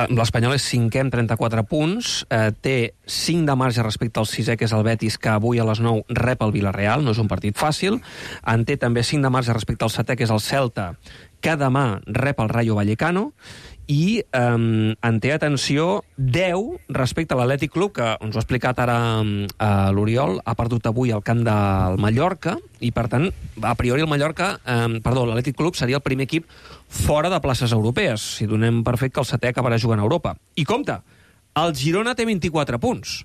L'Espanyol és 5è amb 34 punts, té 5 de marge respecte al 6è, que és el Betis, que avui a les 9 rep el Villarreal, no és un partit fàcil. En té també 5 de marge respecte al 7è, que és el Celta, que demà rep el Rayo Vallecano, i en té, atenció, 10 respecte a l'Atlètic Club, que ens ho ha explicat ara l'Oriol, ha perdut avui al camp del Mallorca, i per tant, a priori l'Atlètic Club seria el primer equip fora de places europees, si donem per fet que el 7è acabarà jugant a Europa. I compte, el Girona té 24 punts.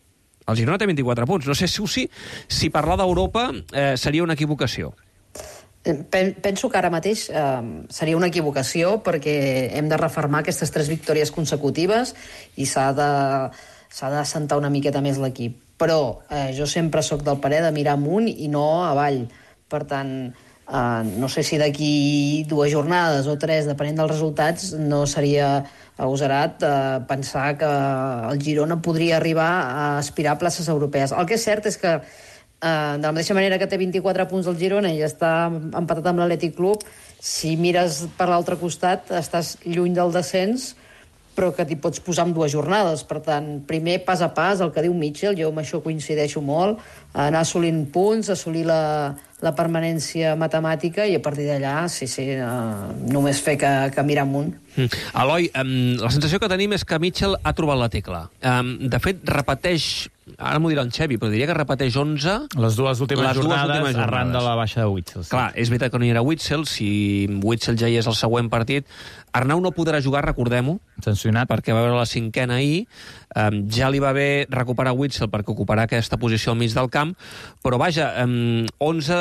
El Girona té 24 punts. No sé si parlar d'Europa seria una equivocació. Penso que ara mateix seria una equivocació, perquè hem de refermar aquestes 3 victòries consecutives i s'ha d'assentar una miqueta més l'equip. Però jo sempre sóc del parer de mirar amunt i no avall. Per tant, no sé si d'aquí 2 jornades o 3, depenent dels resultats, no seria agosarat pensar que el Girona podria arribar a aspirar a places europees. El que és cert és que de la mateixa manera que té 24 punts el Girona i està empatat amb l'Atlètic Club, si mires per l'altre costat estàs lluny del descens, però que t'hi pots posar en 2 jornades. Per tant, primer pas a pas, el que diu Mitchell, jo amb això coincideixo molt, anar assolint punts, assolir la permanència matemàtica i a partir d'allà, només fer que mirar amunt. Eloi, la sensació que tenim és que Mitchell ha trobat la tecla. De fet, repeteix, ara m'ho dirà en Xevi, però diria que repeteix 11... Les dues últimes jornades arran de la baixa de Witsel. Clar, és veritat que no hi era Witsel, si Witsel ja hi és el següent partit. Arnau no podrà jugar, recordem-ho, sancionat, perquè va veure la cinquena ahir. Ja li va bé recuperar Witsel perquè ocuparà aquesta posició al mig del camp, però vaja, 11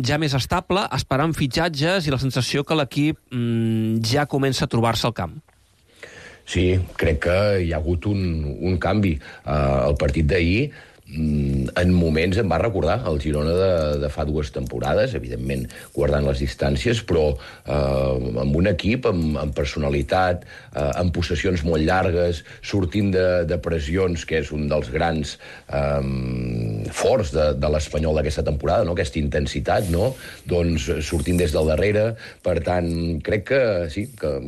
ja més estable, esperant fitxatges i la sensació que l'equip ja comença a trobar-se al camp. Sí, crec que hi ha hagut un canvi. El partit d'ahir, en moments em va recordar el Girona de fa 2 temporades, evidentment guardant les distàncies, però amb un equip amb personalitat, amb possessions molt llargues, sortint de pressions, que és un dels grans forts de l'Espanyol d'aquesta temporada, no? Aquesta intensitat, no? Doncs sortint des del darrere. Per tant, crec que sí, que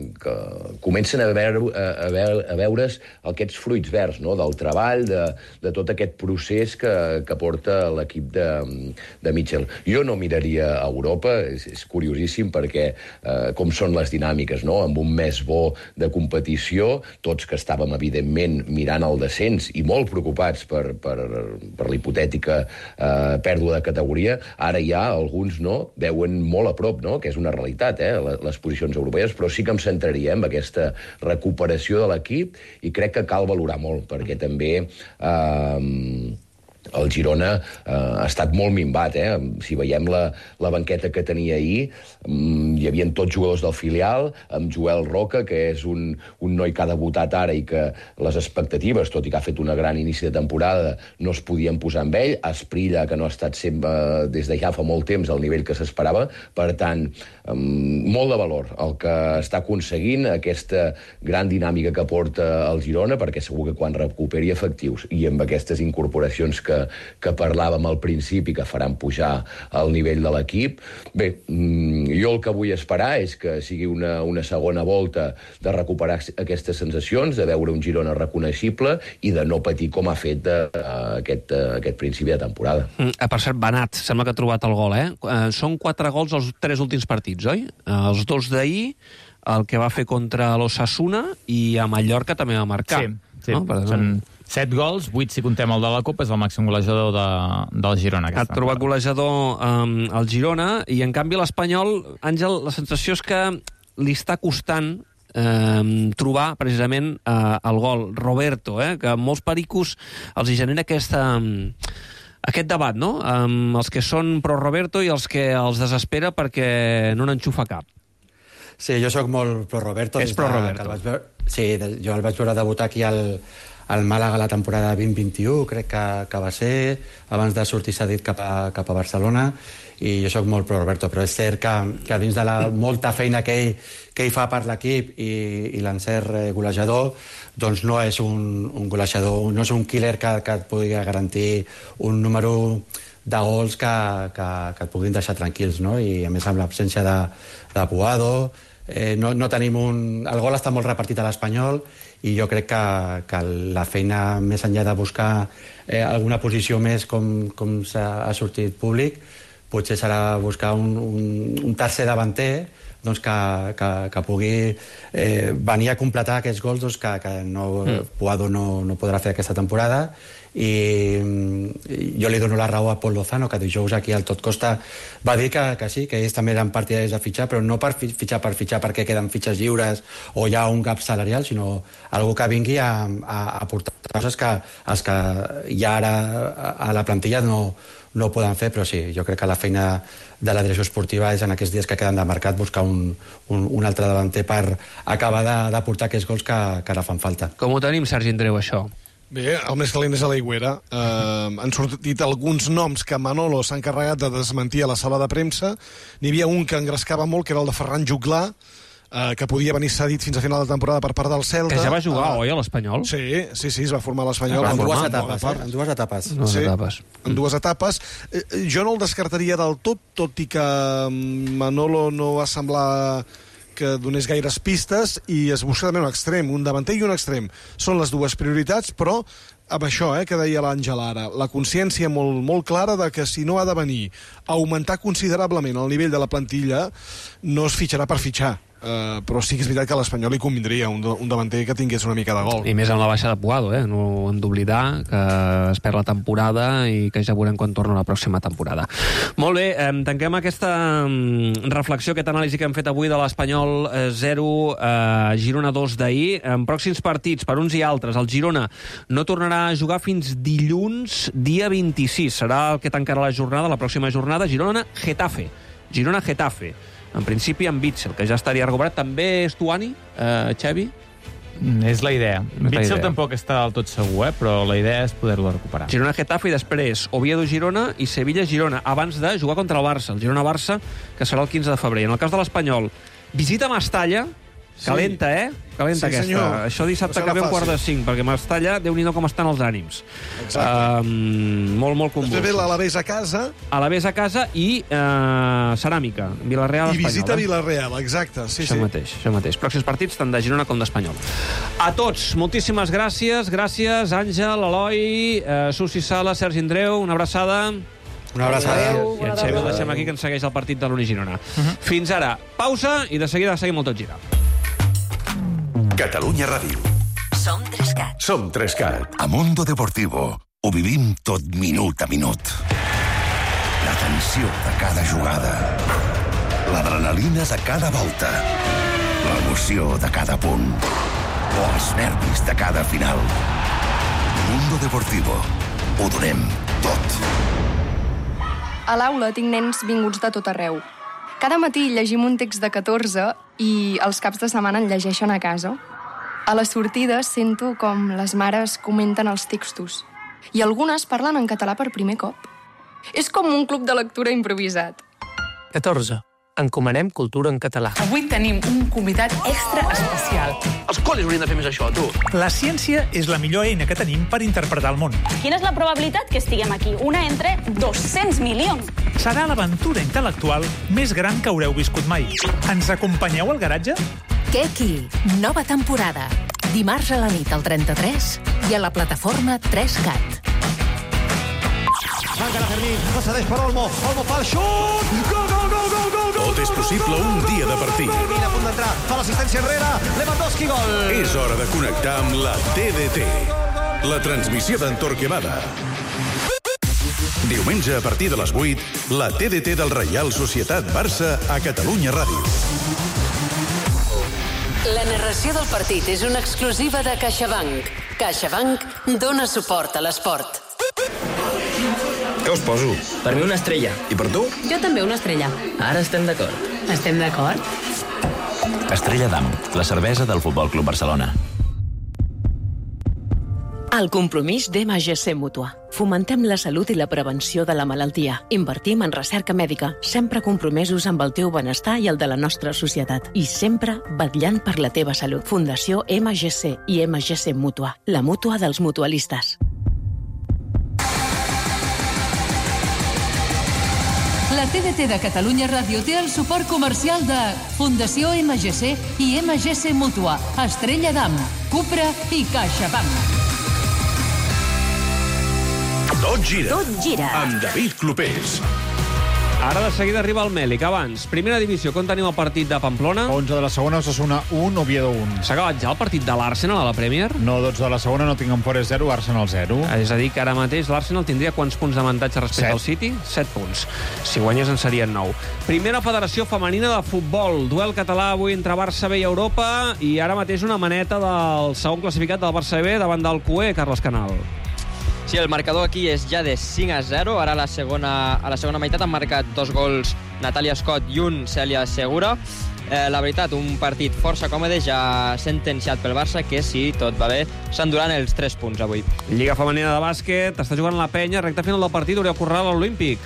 comencen a veure's aquests fruits verds, no? Del treball, de tot aquest procés que porta l'equip de Mitchell. Jo no miraria a Europa, és curiosíssim perquè com són les dinàmiques, no? Amb un mes bo de competició, tots que estàvem, evidentment, mirant el descens i molt preocupats per l'hipotètica pèrdua de categoria, ara ja alguns no veuen molt a prop, no? Que és una realitat, les posicions europees, però sí que em centraria en aquesta recuperació de l'equip i crec que cal valorar molt, perquè també el Girona ha estat molt minvat, Si veiem la banqueta que tenia ahir, hi havia tots jugadors del filial, amb Joel Roca, que és un noi que ha debutat ara i que les expectatives, tot i que ha fet una gran inici de temporada, no es podien posar amb ell. Esprilla, que no ha estat sempre des de ja fa molt temps al nivell que s'esperava. Per tant, molt de valor el que està aconseguint, aquesta gran dinàmica que porta el Girona, perquè segur que quan recuperi efectius i amb aquestes incorporacions que parlàvem al principi, que faran pujar el nivell de l'equip. Bé, jo el que vull esperar és que sigui una segona volta de recuperar aquestes sensacions, de veure un Girona reconeixible i de no patir com ha fet aquest principi de temporada. Per cert, Benat, sembla que ha trobat el gol, Són 4 gols els 3 últims partits, oi? Els 2 d'ahir, el que va fer contra l'Osasuna i a Mallorca també va marcar. Sí. No? Són 7 gols, 8 si contem el de la Copa, és el màxim golejador del Girona. Ha trobat golejador el Girona i, en canvi, l'Espanyol, Àngel, la sensació és que li està costant trobar precisament el gol. Roberto, que molts pericos els hi genera aquest debat, no? Els que són pro Roberto i els que els desespera perquè no n'enxufa cap. Sí, jo sóc molt pro Roberto. És pro Roberto. Sí, jo el vaig veure debutar aquí al Màlaga la temporada 2021, crec que va ser, abans de sortir cedit cap a Barcelona, i jo sóc molt pro Roberto, però és cert que dins de la molta feina que ell fa per l'equip i l'encert golejador, doncs no és un golejador, no és un killer que et pugui garantir un número de gols que et puguin deixar tranquils, no? I a més amb l'absència de Puado, no tenim el gol està molt repartit a l'Espanyol i jo crec que la feina, més enllà de buscar alguna posició més com ha sortit públic, potser serà buscar un tercer davanter doncs que pugui venir a completar aquests gols doncs, que Puado no podrà fer aquesta temporada. I jo li dono la raó a Pol Lozano, que dijous aquí al Tot Costa va dir que sí, que ells també eren partidaris de fitxar, però no per fitxar perquè queden fitxes lliures o hi ha un gap salarial, sinó algú que vingui a portar coses que els que ja ara a la plantilla no poden fer, però sí, jo crec que la feina de la direcció esportiva és en aquests dies que queden de mercat buscar un altre davanter per acabar de portar aquests gols que ara fan falta. Com ho tenim, Sergi Andreu, això? Bé, el més calent és a l'Aigüera. Han sortit alguns noms que Manolo s'ha encarregat de desmentir a la sala de premsa. N'hi havia un que engrescava molt, que era el de Ferran Juglà, que podia venir cedit fins a final de temporada per part del Celta. Que ja va jugar, oi, a l'Espanyol? Sí, es va formar a l'Espanyol. En dues etapes. En dues etapes. Jo no el descartaria del tot i que Manolo no va semblar que donés gaires pistes i es busca també un extrem, un davanter i un extrem. Són les dues prioritats, però amb això que deia l'Àngel ara, la consciència molt clara de que si no ha de venir a augmentar considerablement el nivell de la plantilla, no es fitxarà per fitxar. Però sí que és veritat que a l'Espanyol li convindria un davanter que tingués una mica de gol. I més amb la baixa de Puado, no hem d'oblidar que es perd la temporada i que ja veurem quan torna la pròxima temporada. Molt bé, tanquem aquesta reflexió, aquesta anàlisi que hem fet avui de l'Espanyol 0, Girona 2 d'ahir. En pròxims partits, per uns i altres, el Girona no tornarà a jugar fins dilluns, dia 26. Serà el que tancarà la jornada, la pròxima jornada, Girona-Getafe. Girona-Getafe. En principi, amb Witsel, que ja estaria recuperat. També és Tuani, Xavi? És la idea. Witsel tampoc està del tot segur, però la idea és poder-lo recuperar. Girona-Getafe i després Oviedo-Girona i Sevilla-Girona, abans de jugar contra el Barça, el Girona-Barça, que serà el 15 de febrer. En el cas de l'Espanyol, visita Mestalla, calenta, calenta aquesta. Senyor. Això dissabte que ve un 4:05, perquè Mestalla, Déu-n'hi-do com estan els ànims. Molt convulsos. Després ve l'Alavés a casa. Alavés a casa i Ceràmica, Villarreal, I Espanyol. visita Villarreal, exacte. Sí, això mateix. Pròxims partits tant de Girona com d'Espanyol. A tots, moltíssimes gràcies. Gràcies, Àngel, Eloi, Susi Sala, Sergi Andreu, una abraçada. Una abraçada. I en Xavi el deixem aquí, que ens segueix el partit de l'Uni-Girona. Fins ara, pausa i de seguida seguim el Tot Gira. Catalunya Ràdio. Som 3CAT. Som 3CAT. A Mundo Deportivo ho vivim tot minut a minut. La tensió de cada jugada. L'adrenalina de cada volta. L'emoció de cada punt. O els nervis de cada final. Mundo Deportivo. Ho donem tot. A l'aula tinc nens vinguts de tot arreu. Cada matí llegim un text de 14 i els caps de setmana en llegeixen a casa. A les sortides sento com les mares comenten els textos i algunes parlen en català per primer cop. És com un club de lectura improvisat. 14. Encomanem cultura en català. Avui tenim un convidat extra especial. Els col·les haurien de fer més això, tu. La ciència és la millor eina que tenim per interpretar el món. Quina és la probabilitat que estiguem aquí? Una entre 200 milions. Serà l'aventura intel·lectual més gran que haureu viscut mai. Ens acompanyeu al garatge? Keki, nova temporada. Dimarts a la nit al 33 i a la plataforma 3CAT. Encara Fermín, passa per Olmo. Olmo fa el xut! Gol, gol, gol, gol, gol! Tot és possible un dia de partit. Fermín a punt d'entrar, fa l'assistència enrere. Lewandowski, gol! És hora de connectar amb la TDT. La transmissió d'en Torquemada. Diumenge a partir de les 8, la TDT del Reial Societat Barça a Catalunya Ràdio. La narració del partit és una exclusiva de CaixaBank. CaixaBank dona suport a l'esport. Què us poso? Per mi una estrella. I per tu? Jo també una estrella. Ara estem d'acord. Estem d'acord? Estrella d'Am, la cervesa del Futbol Club Barcelona. El compromís d'MGC Mútua. Fomentem la salut i la prevenció de la malaltia. Invertim en recerca mèdica, sempre compromesos amb el teu benestar i el de la nostra societat. I sempre vetllant per la teva salut. Fundació MGC i MGC Mútua. La mútua dels mutualistes. La TDT de Catalunya Ràdio té el suport comercial de Fundació MGC i MGC Mútua, Estrella d'Am, Cupra i CaixaBank. Tot gira. Tot gira. Amb David Clopés. Ara de seguida arriba el Mèlic. Abans, primera divisió, com tenim el partit de Pamplona? 11 de la segona, Osasuna 1, Oviedo 1. S'ha acabat ja el partit de l'Arsenal a la Premier? No, 12 de la segona, Nottingham Forest 0, Arsenal 0. És a dir, que ara mateix l'Arsenal tindria quants punts d'avantatge respecte al City? 7 punts. Si guanyés en serien 9. Primera Federació Femenina de Futbol. Duel català avui entre Barça B i Europa i ara mateix una maneta del segon classificat del Barça B davant del CUE, Carles Canal. Sí, el marcador aquí és ja de 5-0. Ara a la segona meitat han marcat 2 gols Natàlia Scott i un Cèlia Segura. La veritat, un partit força còmode, ja sentenciat pel Barça, que si tot va bé s'enduran els 3 punts avui. Lliga femenina de bàsquet, està jugant la Penya, recta final del partit, Oriol Corral a l'Olímpic.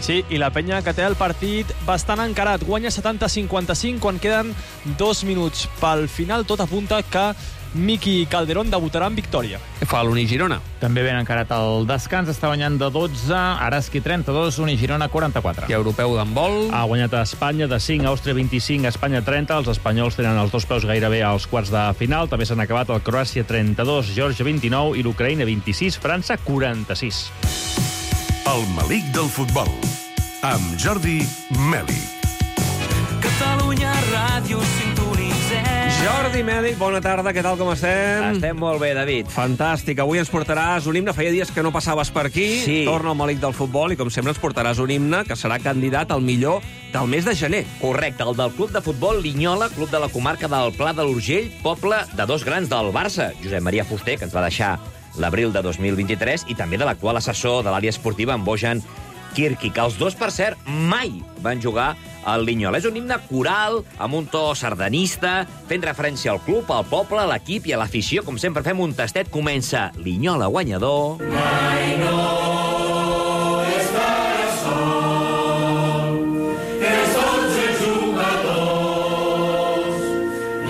Sí, i la Penya que té el partit bastant encarat. Guanya 70-55 quan queden 2 minuts. Pel final tot apunta que Miki Calderón debutarà en victòria. Què fa l'Uni Girona? També ben encarat el descans, està guanyant de 12, Araski 32, Uni Girona 44. I europeu d'handbol? Ha guanyat a Espanya de 5, Àustria 25, Espanya 30. Els espanyols tenen els dos peus gairebé als quarts de final. També s'han acabat el Croàcia 32, Geòrgia 29 i l'Ucraïna 26, França 46. El malic del futbol, amb Jordi Meli. Catalunya Ràdio sintonitzem. Jordi Mèlic, bona tarda, què tal, com estem? Estem molt bé, David. Fantàstic, avui ens portaràs un himne. Feia dies que no passaves per aquí. Sí. Torna el malic del futbol i, com sempre, ens portaràs un himne que serà candidat al millor del mes de gener. Correcte, el del club de futbol Linyola, club de la comarca del Pla de l'Urgell, poble de dos grans del Barça, Josep Maria Fuster, que ens va deixar l'abril de 2023, i també de l'actual assessor de l'àrea esportiva, en Bojan Kirki, que els dos, per cert, mai van jugar al Linyola. És un himne coral, amb un to sardanista, fent referència al club, al poble, a l'equip i a l'afició. Com sempre fem un tastet, comença Linyola guanyador. Mai no estarà sol, els 11 jugadors.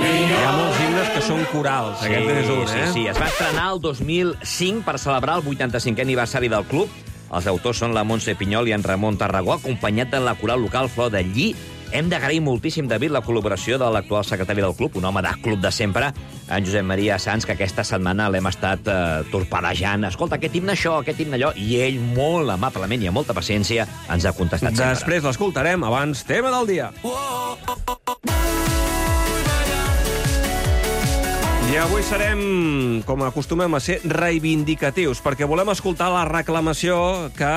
Hi ha molts himnes que són corals. Sí, aquest és un, sí. Es va estrenar el 2005 per celebrar el 85è aniversari del club. Els autors són la Montse Pinyol i en Ramon Tarragó, acompanyat de la coral local Flor de Lli. Hem d'agrair moltíssim, David, la col·laboració de l'actual secretari del club, un home de club de sempre, en Josep Maria Sanz, que aquesta setmana l'hem estat torpedejant. Escolta, aquest himne això, aquest himne allò, i ell, molt amablement i amb molta paciència, ens ha contestat sempre. Després l'escoltarem, abans, tema del dia. I avui serem, com acostumem a ser, reivindicatius, perquè volem escoltar la reclamació que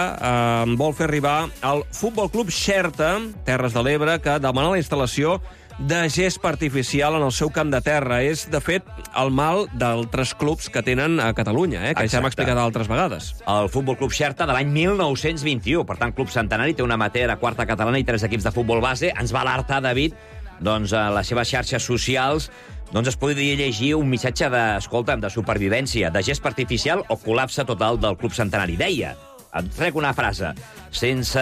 vol fer arribar el Futbol Club Xerta, Terres de l'Ebre, que demana la instal·lació de gespa artificial en el seu camp de terra. És, de fet, el mal d'altres clubs que tenen a Catalunya, que ja hem explicat altres vegades. El Futbol Club Xerta de l'any 1921, per tant, club centenari, té una amateur a quarta catalana i 3 equips de futbol base. Ens va alertar, David, doncs, a les seves xarxes socials, doncs es podria llegir un missatge de supervivència, de gespa artificial o col·lapse total del club centenari. Deia, et trec una frase, sense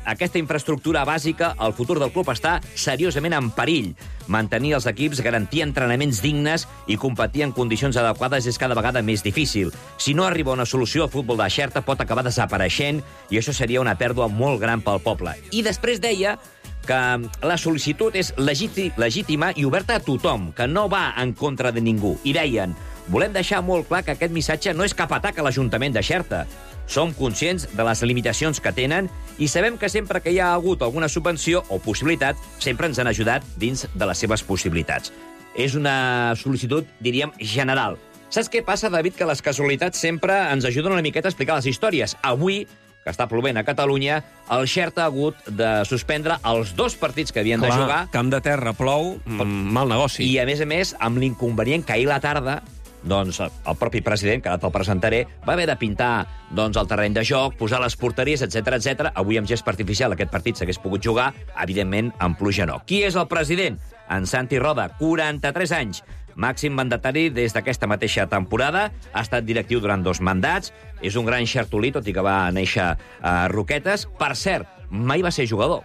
aquesta infraestructura bàsica, el futur del club està seriosament en perill. Mantenir els equips, garantir entrenaments dignes i competir en condicions adequades és cada vegada més difícil. Si no arriba una solució, el futbol de Xerta pot acabar desapareixent i això seria una pèrdua molt gran pel poble. I després deia que la sol·licitud és legítima i oberta a tothom, que no va en contra de ningú. I deien, volem deixar molt clar que aquest missatge no és cap atac a l'Ajuntament de Xerta. Som conscients de les limitacions que tenen i sabem que sempre que hi ha hagut alguna subvenció o possibilitat, sempre ens han ajudat dins de les seves possibilitats. És una sol·licitud, diríem, general. Saps què passa, David? Que les casualitats sempre ens ajuden una miqueta a explicar les històries. Avui, que està plovent a Catalunya, el Xerta ha hagut de suspendre els 2 partits que havien de jugar. Camp de terra, plou, mal negoci. I, a més, amb l'inconvenient que ahir la tarda, doncs, el propi president, que ara te'l presentaré, va haver de pintar doncs, el terreny de joc, posar les porteries, etc. Avui, amb gespa artificial, aquest partit s'hagués pogut jugar, evidentment, amb pluja no. Qui és el president? En Santi Roda, 43 anys, màxim mandatari des d'aquesta mateixa temporada, ha estat directiu durant 2 mandats, és un gran xertolí, tot i que va néixer a Roquetes. Per cert, mai va ser jugador,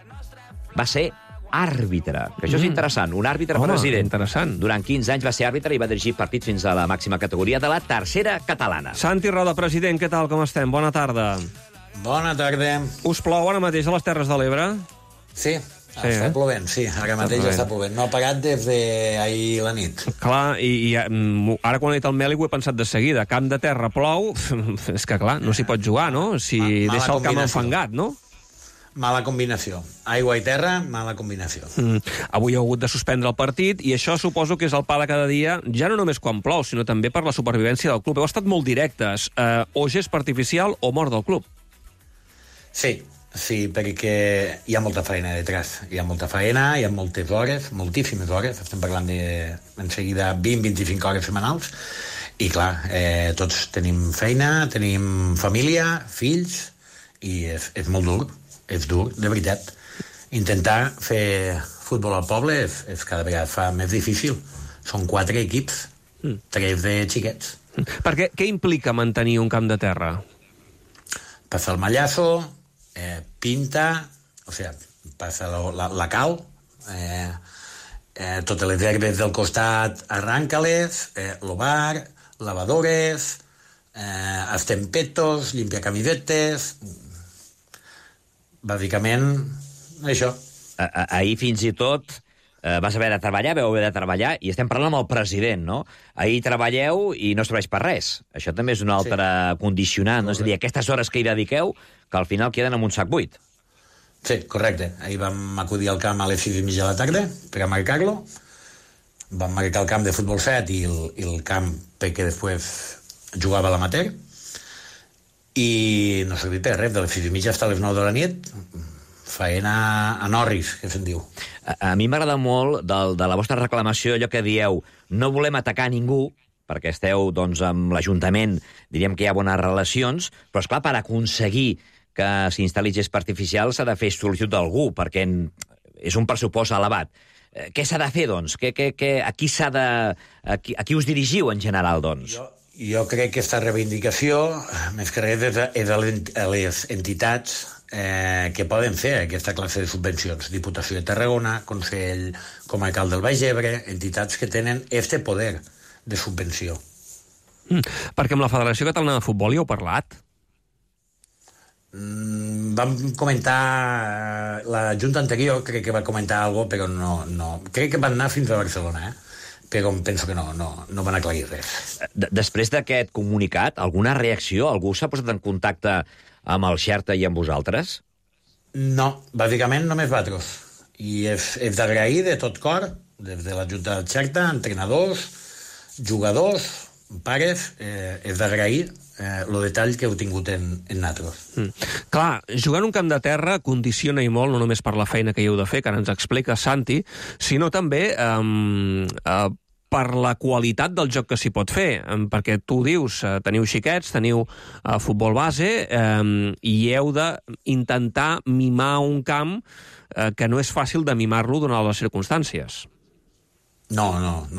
va ser àrbitre, que això és interessant, un àrbitre president. Interessant. Durant 15 anys va ser àrbitre i va dirigir partits fins a la màxima categoria de la tercera catalana. Santi Roda, president, què tal, com estem? Bona tarda. Bona tarda. Us plou ara mateix a les Terres de l'Ebre? Sí. Està plovent, sí, ara mateix està plovent. No ha parat des d'ahir la nit. Clar, i ara quan he dit el Meli ho he pensat de seguida. Camp de terra, plou, és que clar, no s'hi pot jugar, no? Si deixa el camp enfangat, no? Mala combinació. Aigua i terra, mala combinació. Avui ha hagut de suspendre el partit i això suposo que és el pa de cada dia, ja no només quan plou, sinó també per la supervivència del club. Heu estat molt directes. O gespa artificial o mort del club. Sí, perquè hi ha molta feina detrás. Hi ha molta feina, hi ha moltes hores, moltíssimes hores. Estem parlant en seguida 20-25 hores setmanals. I clar, tots tenim feina, tenim família, fills, i és molt dur. És dur, de veritat. Intentar fer futbol al poble és cada vegada fa més difícil. Són 4 equips, 3 de xiquets. Perquè què implica mantenir un camp de terra? Passa el mallazo, pinta, o sea, passa la cal, totes les herbes del costat, arranca-les, lo bar, lavadores, estempetos, limpiar camisetes... Bàsicament, això. Ahir fins i tot vas haver de treballar, vau haver de treballar, i estem parlant amb el president, no? Ahir treballeu i no serveix per res. Això també és un altre condicionant, no? És a dir, aquestes hores que hi dediqueu, que al final queden amb un sac buit. Sí, correcte. Ahir vam acudir al camp a les 6:30 de la tarda per a marcar-lo. Vam marcar el camp de futbol 7 i el camp perquè després jugava a l'amateur. I no servia per res, de les 6:30 fins a les 9 de la nit, faena a Norris, que se'n diu. A mi m'agrada molt de la vostra reclamació allò que dieu, no volem atacar ningú, perquè esteu doncs, amb l'Ajuntament, diríem que hi ha bones relacions, però esclar, per aconseguir que s'instal·li gespa artificial s'ha de fer sol·licitud d'algú, perquè és un pressupost elevat. Què s'ha de fer, doncs? A qui us dirigiu, en general, doncs? Jo crec que aquesta reivindicació, més que res, és a les entitats que poden fer aquesta classe de subvencions. Diputació de Tarragona, Consell Comarcal del Baix Ebre, entitats que tenen este poder de subvenció. Perquè amb la Federació Catalana de Futbol hi heu parlat? Vam comentar... La Junta anterior crec que va comentar alguna cosa, però no. Crec que van anar fins a Barcelona, però penso que no van aclarir res. Després d'aquest comunicat, alguna reacció? Algú s'ha posat en contacte amb el Xerta i amb vosaltres? No, bàsicament només vosaltres. I és d'agrair de tot cor, des de la Junta del Xerta, entrenadors, jugadors, pares, és d'agrair el detall que heu tingut en nosaltres. Clar, jugar en un camp de terra condiciona i molt, no només per la feina que hi heu de fer, que ara ens explica Santi, sinó també per la qualitat del joc que s'hi pot fer, perquè tu dius, teniu xiquets, teniu futbol base, i heu d'intentar mimar un camp que no és fàcil de mimar-lo donant les circumstàncies. No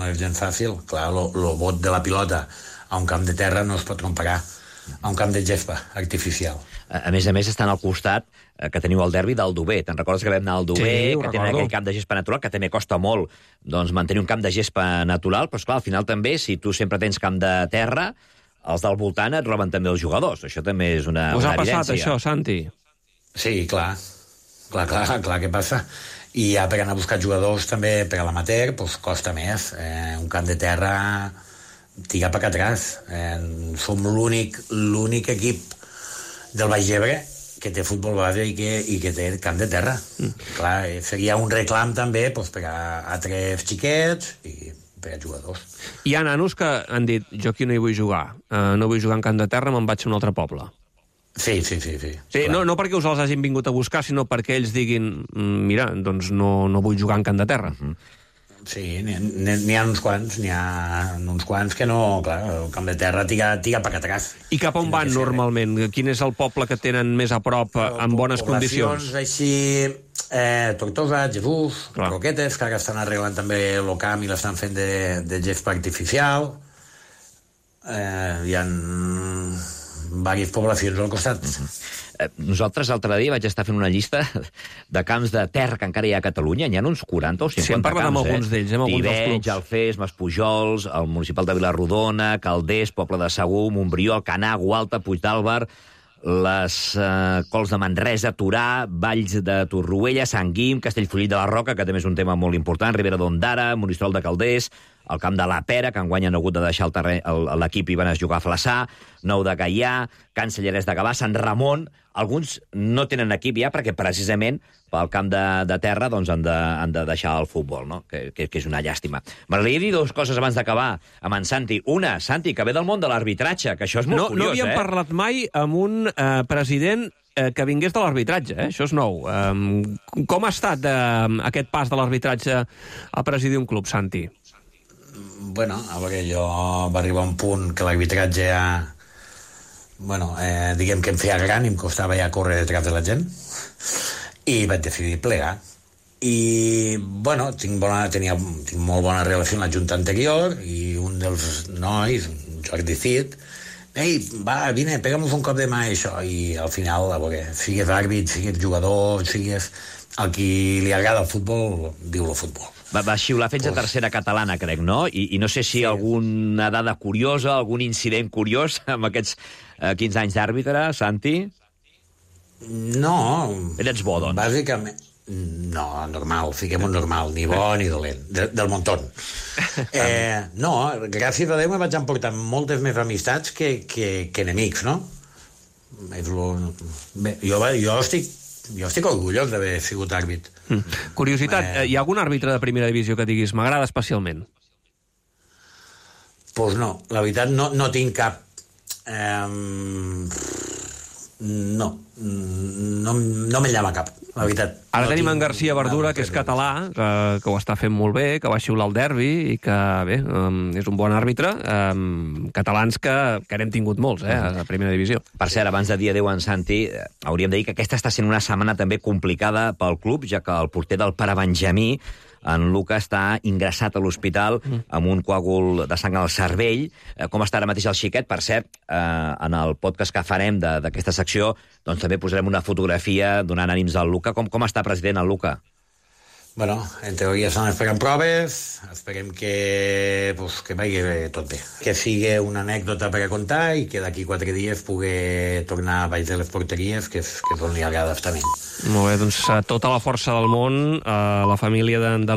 és gens fàcil. Clar, el bot de la pilota a un camp de terra no es pot comparar a un camp de gespa artificial. A més, estan al costat que teniu el derbi d'Aldover. Te'n recordes que vam anar a Aldover, que tenen aquell camp de gespa natural, que també costa molt mantenir un camp de gespa natural, però esclar, al final també, si tu sempre tens camp de terra, els del voltant et roben també els jugadors. Això també és una evidència. Us ha passat això, Santi? Sí, clar que passa. I ja per anar a buscar jugadors també per a l'amateur costa més. Un camp de terra tira per atrás. Som l'únic equip del Baix Ebre que té futbol base i que té camp de terra. Clar, seria un reclam també per a tres xiquets i per a jugadors. Hi ha nanos que han dit, jo aquí no hi vull jugar. No vull jugar en camp de terra, me'n vaig a un altre poble. Sí. No perquè us els hagin vingut a buscar, sinó perquè ells diguin, mira, doncs no vull jugar en camp de terra. Sí, n'hi ha uns quants que no, clar, el camp de terra tira per atrás. I cap on van normalment? Quin és el poble que tenen més a prop, en bones condicions? Poblacions així, Tortosa, Jesús, Roquetes, que ara estan arreglant també el camp i l'estan fent de gespa artificial. Hi ha diverses poblacions al costat. Nosaltres l'altre dia vaig estar fent una llista de camps de terra que encara hi ha a Catalunya. N'hi ha uns 40 o 50 camps. Sí, hem parlat amb alguns d'ells, amb alguns dels clubs. Tivenys, Alfés, Maspujols, el municipal de Vilarrodona, Calders, Poble de Segur, Montbrió, Alcanar, Gualta, Puigdàlber, les Cols de Manresa, Torà, Valls de Torroella, Sant Guim, Castellfollit de la Roca, que també és un tema molt important, Ribera d'Ondara, Monistrol de Calders, el camp de la Pera, que enguany han hagut de deixar l'equip i van a jugar a Flaçà, Nou de Gaià, Can Cellerès de Gavà, Sant Ramon. Alguns no tenen equip ja perquè precisament pel camp de terra doncs han de deixar el futbol, no? que és una llàstima. M'agradaria dir dues coses abans d'acabar amb en Santi. Una, Santi, que ve del món de l'arbitratge, que això és molt curiós. No havíem parlat mai amb un president que vingués de l'arbitratge, això és nou. Com ha estat aquest pas de l'arbitratge a presidir un club, Santi? Bueno, a veure, jo va arribar un punt que l'arbitratge ja... diguem que em feia gran i em costava ja córrer detrás de la gent i vaig decidir plegar. I, tinc molt bona relació amb la junta anterior i un dels nois, Jordi Cid, ei, va, vine, pega'm un cop de mà, això. I al final, a veure, sigues àrbit, sigues jugador, sigues al qui li agrada el futbol, diu el futbol. Va xiular fins a tercera catalana, crec, no? I no sé si alguna dada curiosa, algun incident curiós amb aquests 15 anys d'àrbitre, Santi? No. Eres bo, doncs. Bàsicament... No, normal, fiquem un normal, ni bo ni dolent, del montón. No, gràcies a Déu me vaig emportar moltes més amistats que enemics, no? Bé, jo estic orgullós d'haver sigut àrbit. Curiositat, hi ha algun àrbitre de primera divisió que diguis m'agrada especialment? Pues no, la veritat no tinc cap... No me llama cap, la veritat. Ara tenim en García Verdura, que és català, que ho està fent molt bé, que va xiular el derbi i que, bé, és un bon àrbitre. Catalans que n'hem tingut molts, a primera divisió. Per cert, abans de dir adéu a en Santi, hauríem de dir que aquesta està sent una setmana també complicada pel club, ja que el porter del Pare Benjamí, en Luca, està ingressat a l'hospital amb un coàgul de sang al cervell. Com està ara mateix el xiquet? Per cert, en el podcast que farem d'aquesta secció, doncs també posarem una fotografia donant ànims al Luca. Com està, president, el Luca? Bueno, en teoria estan esperant proves, esperem que vagi tot bé. Que sigui una anècdota per a contar i que d'aquí 4 dies pugui tornar a baix de les porteries, que és on li agrada estar a mi. Molt bé, doncs tota la força del món a la família de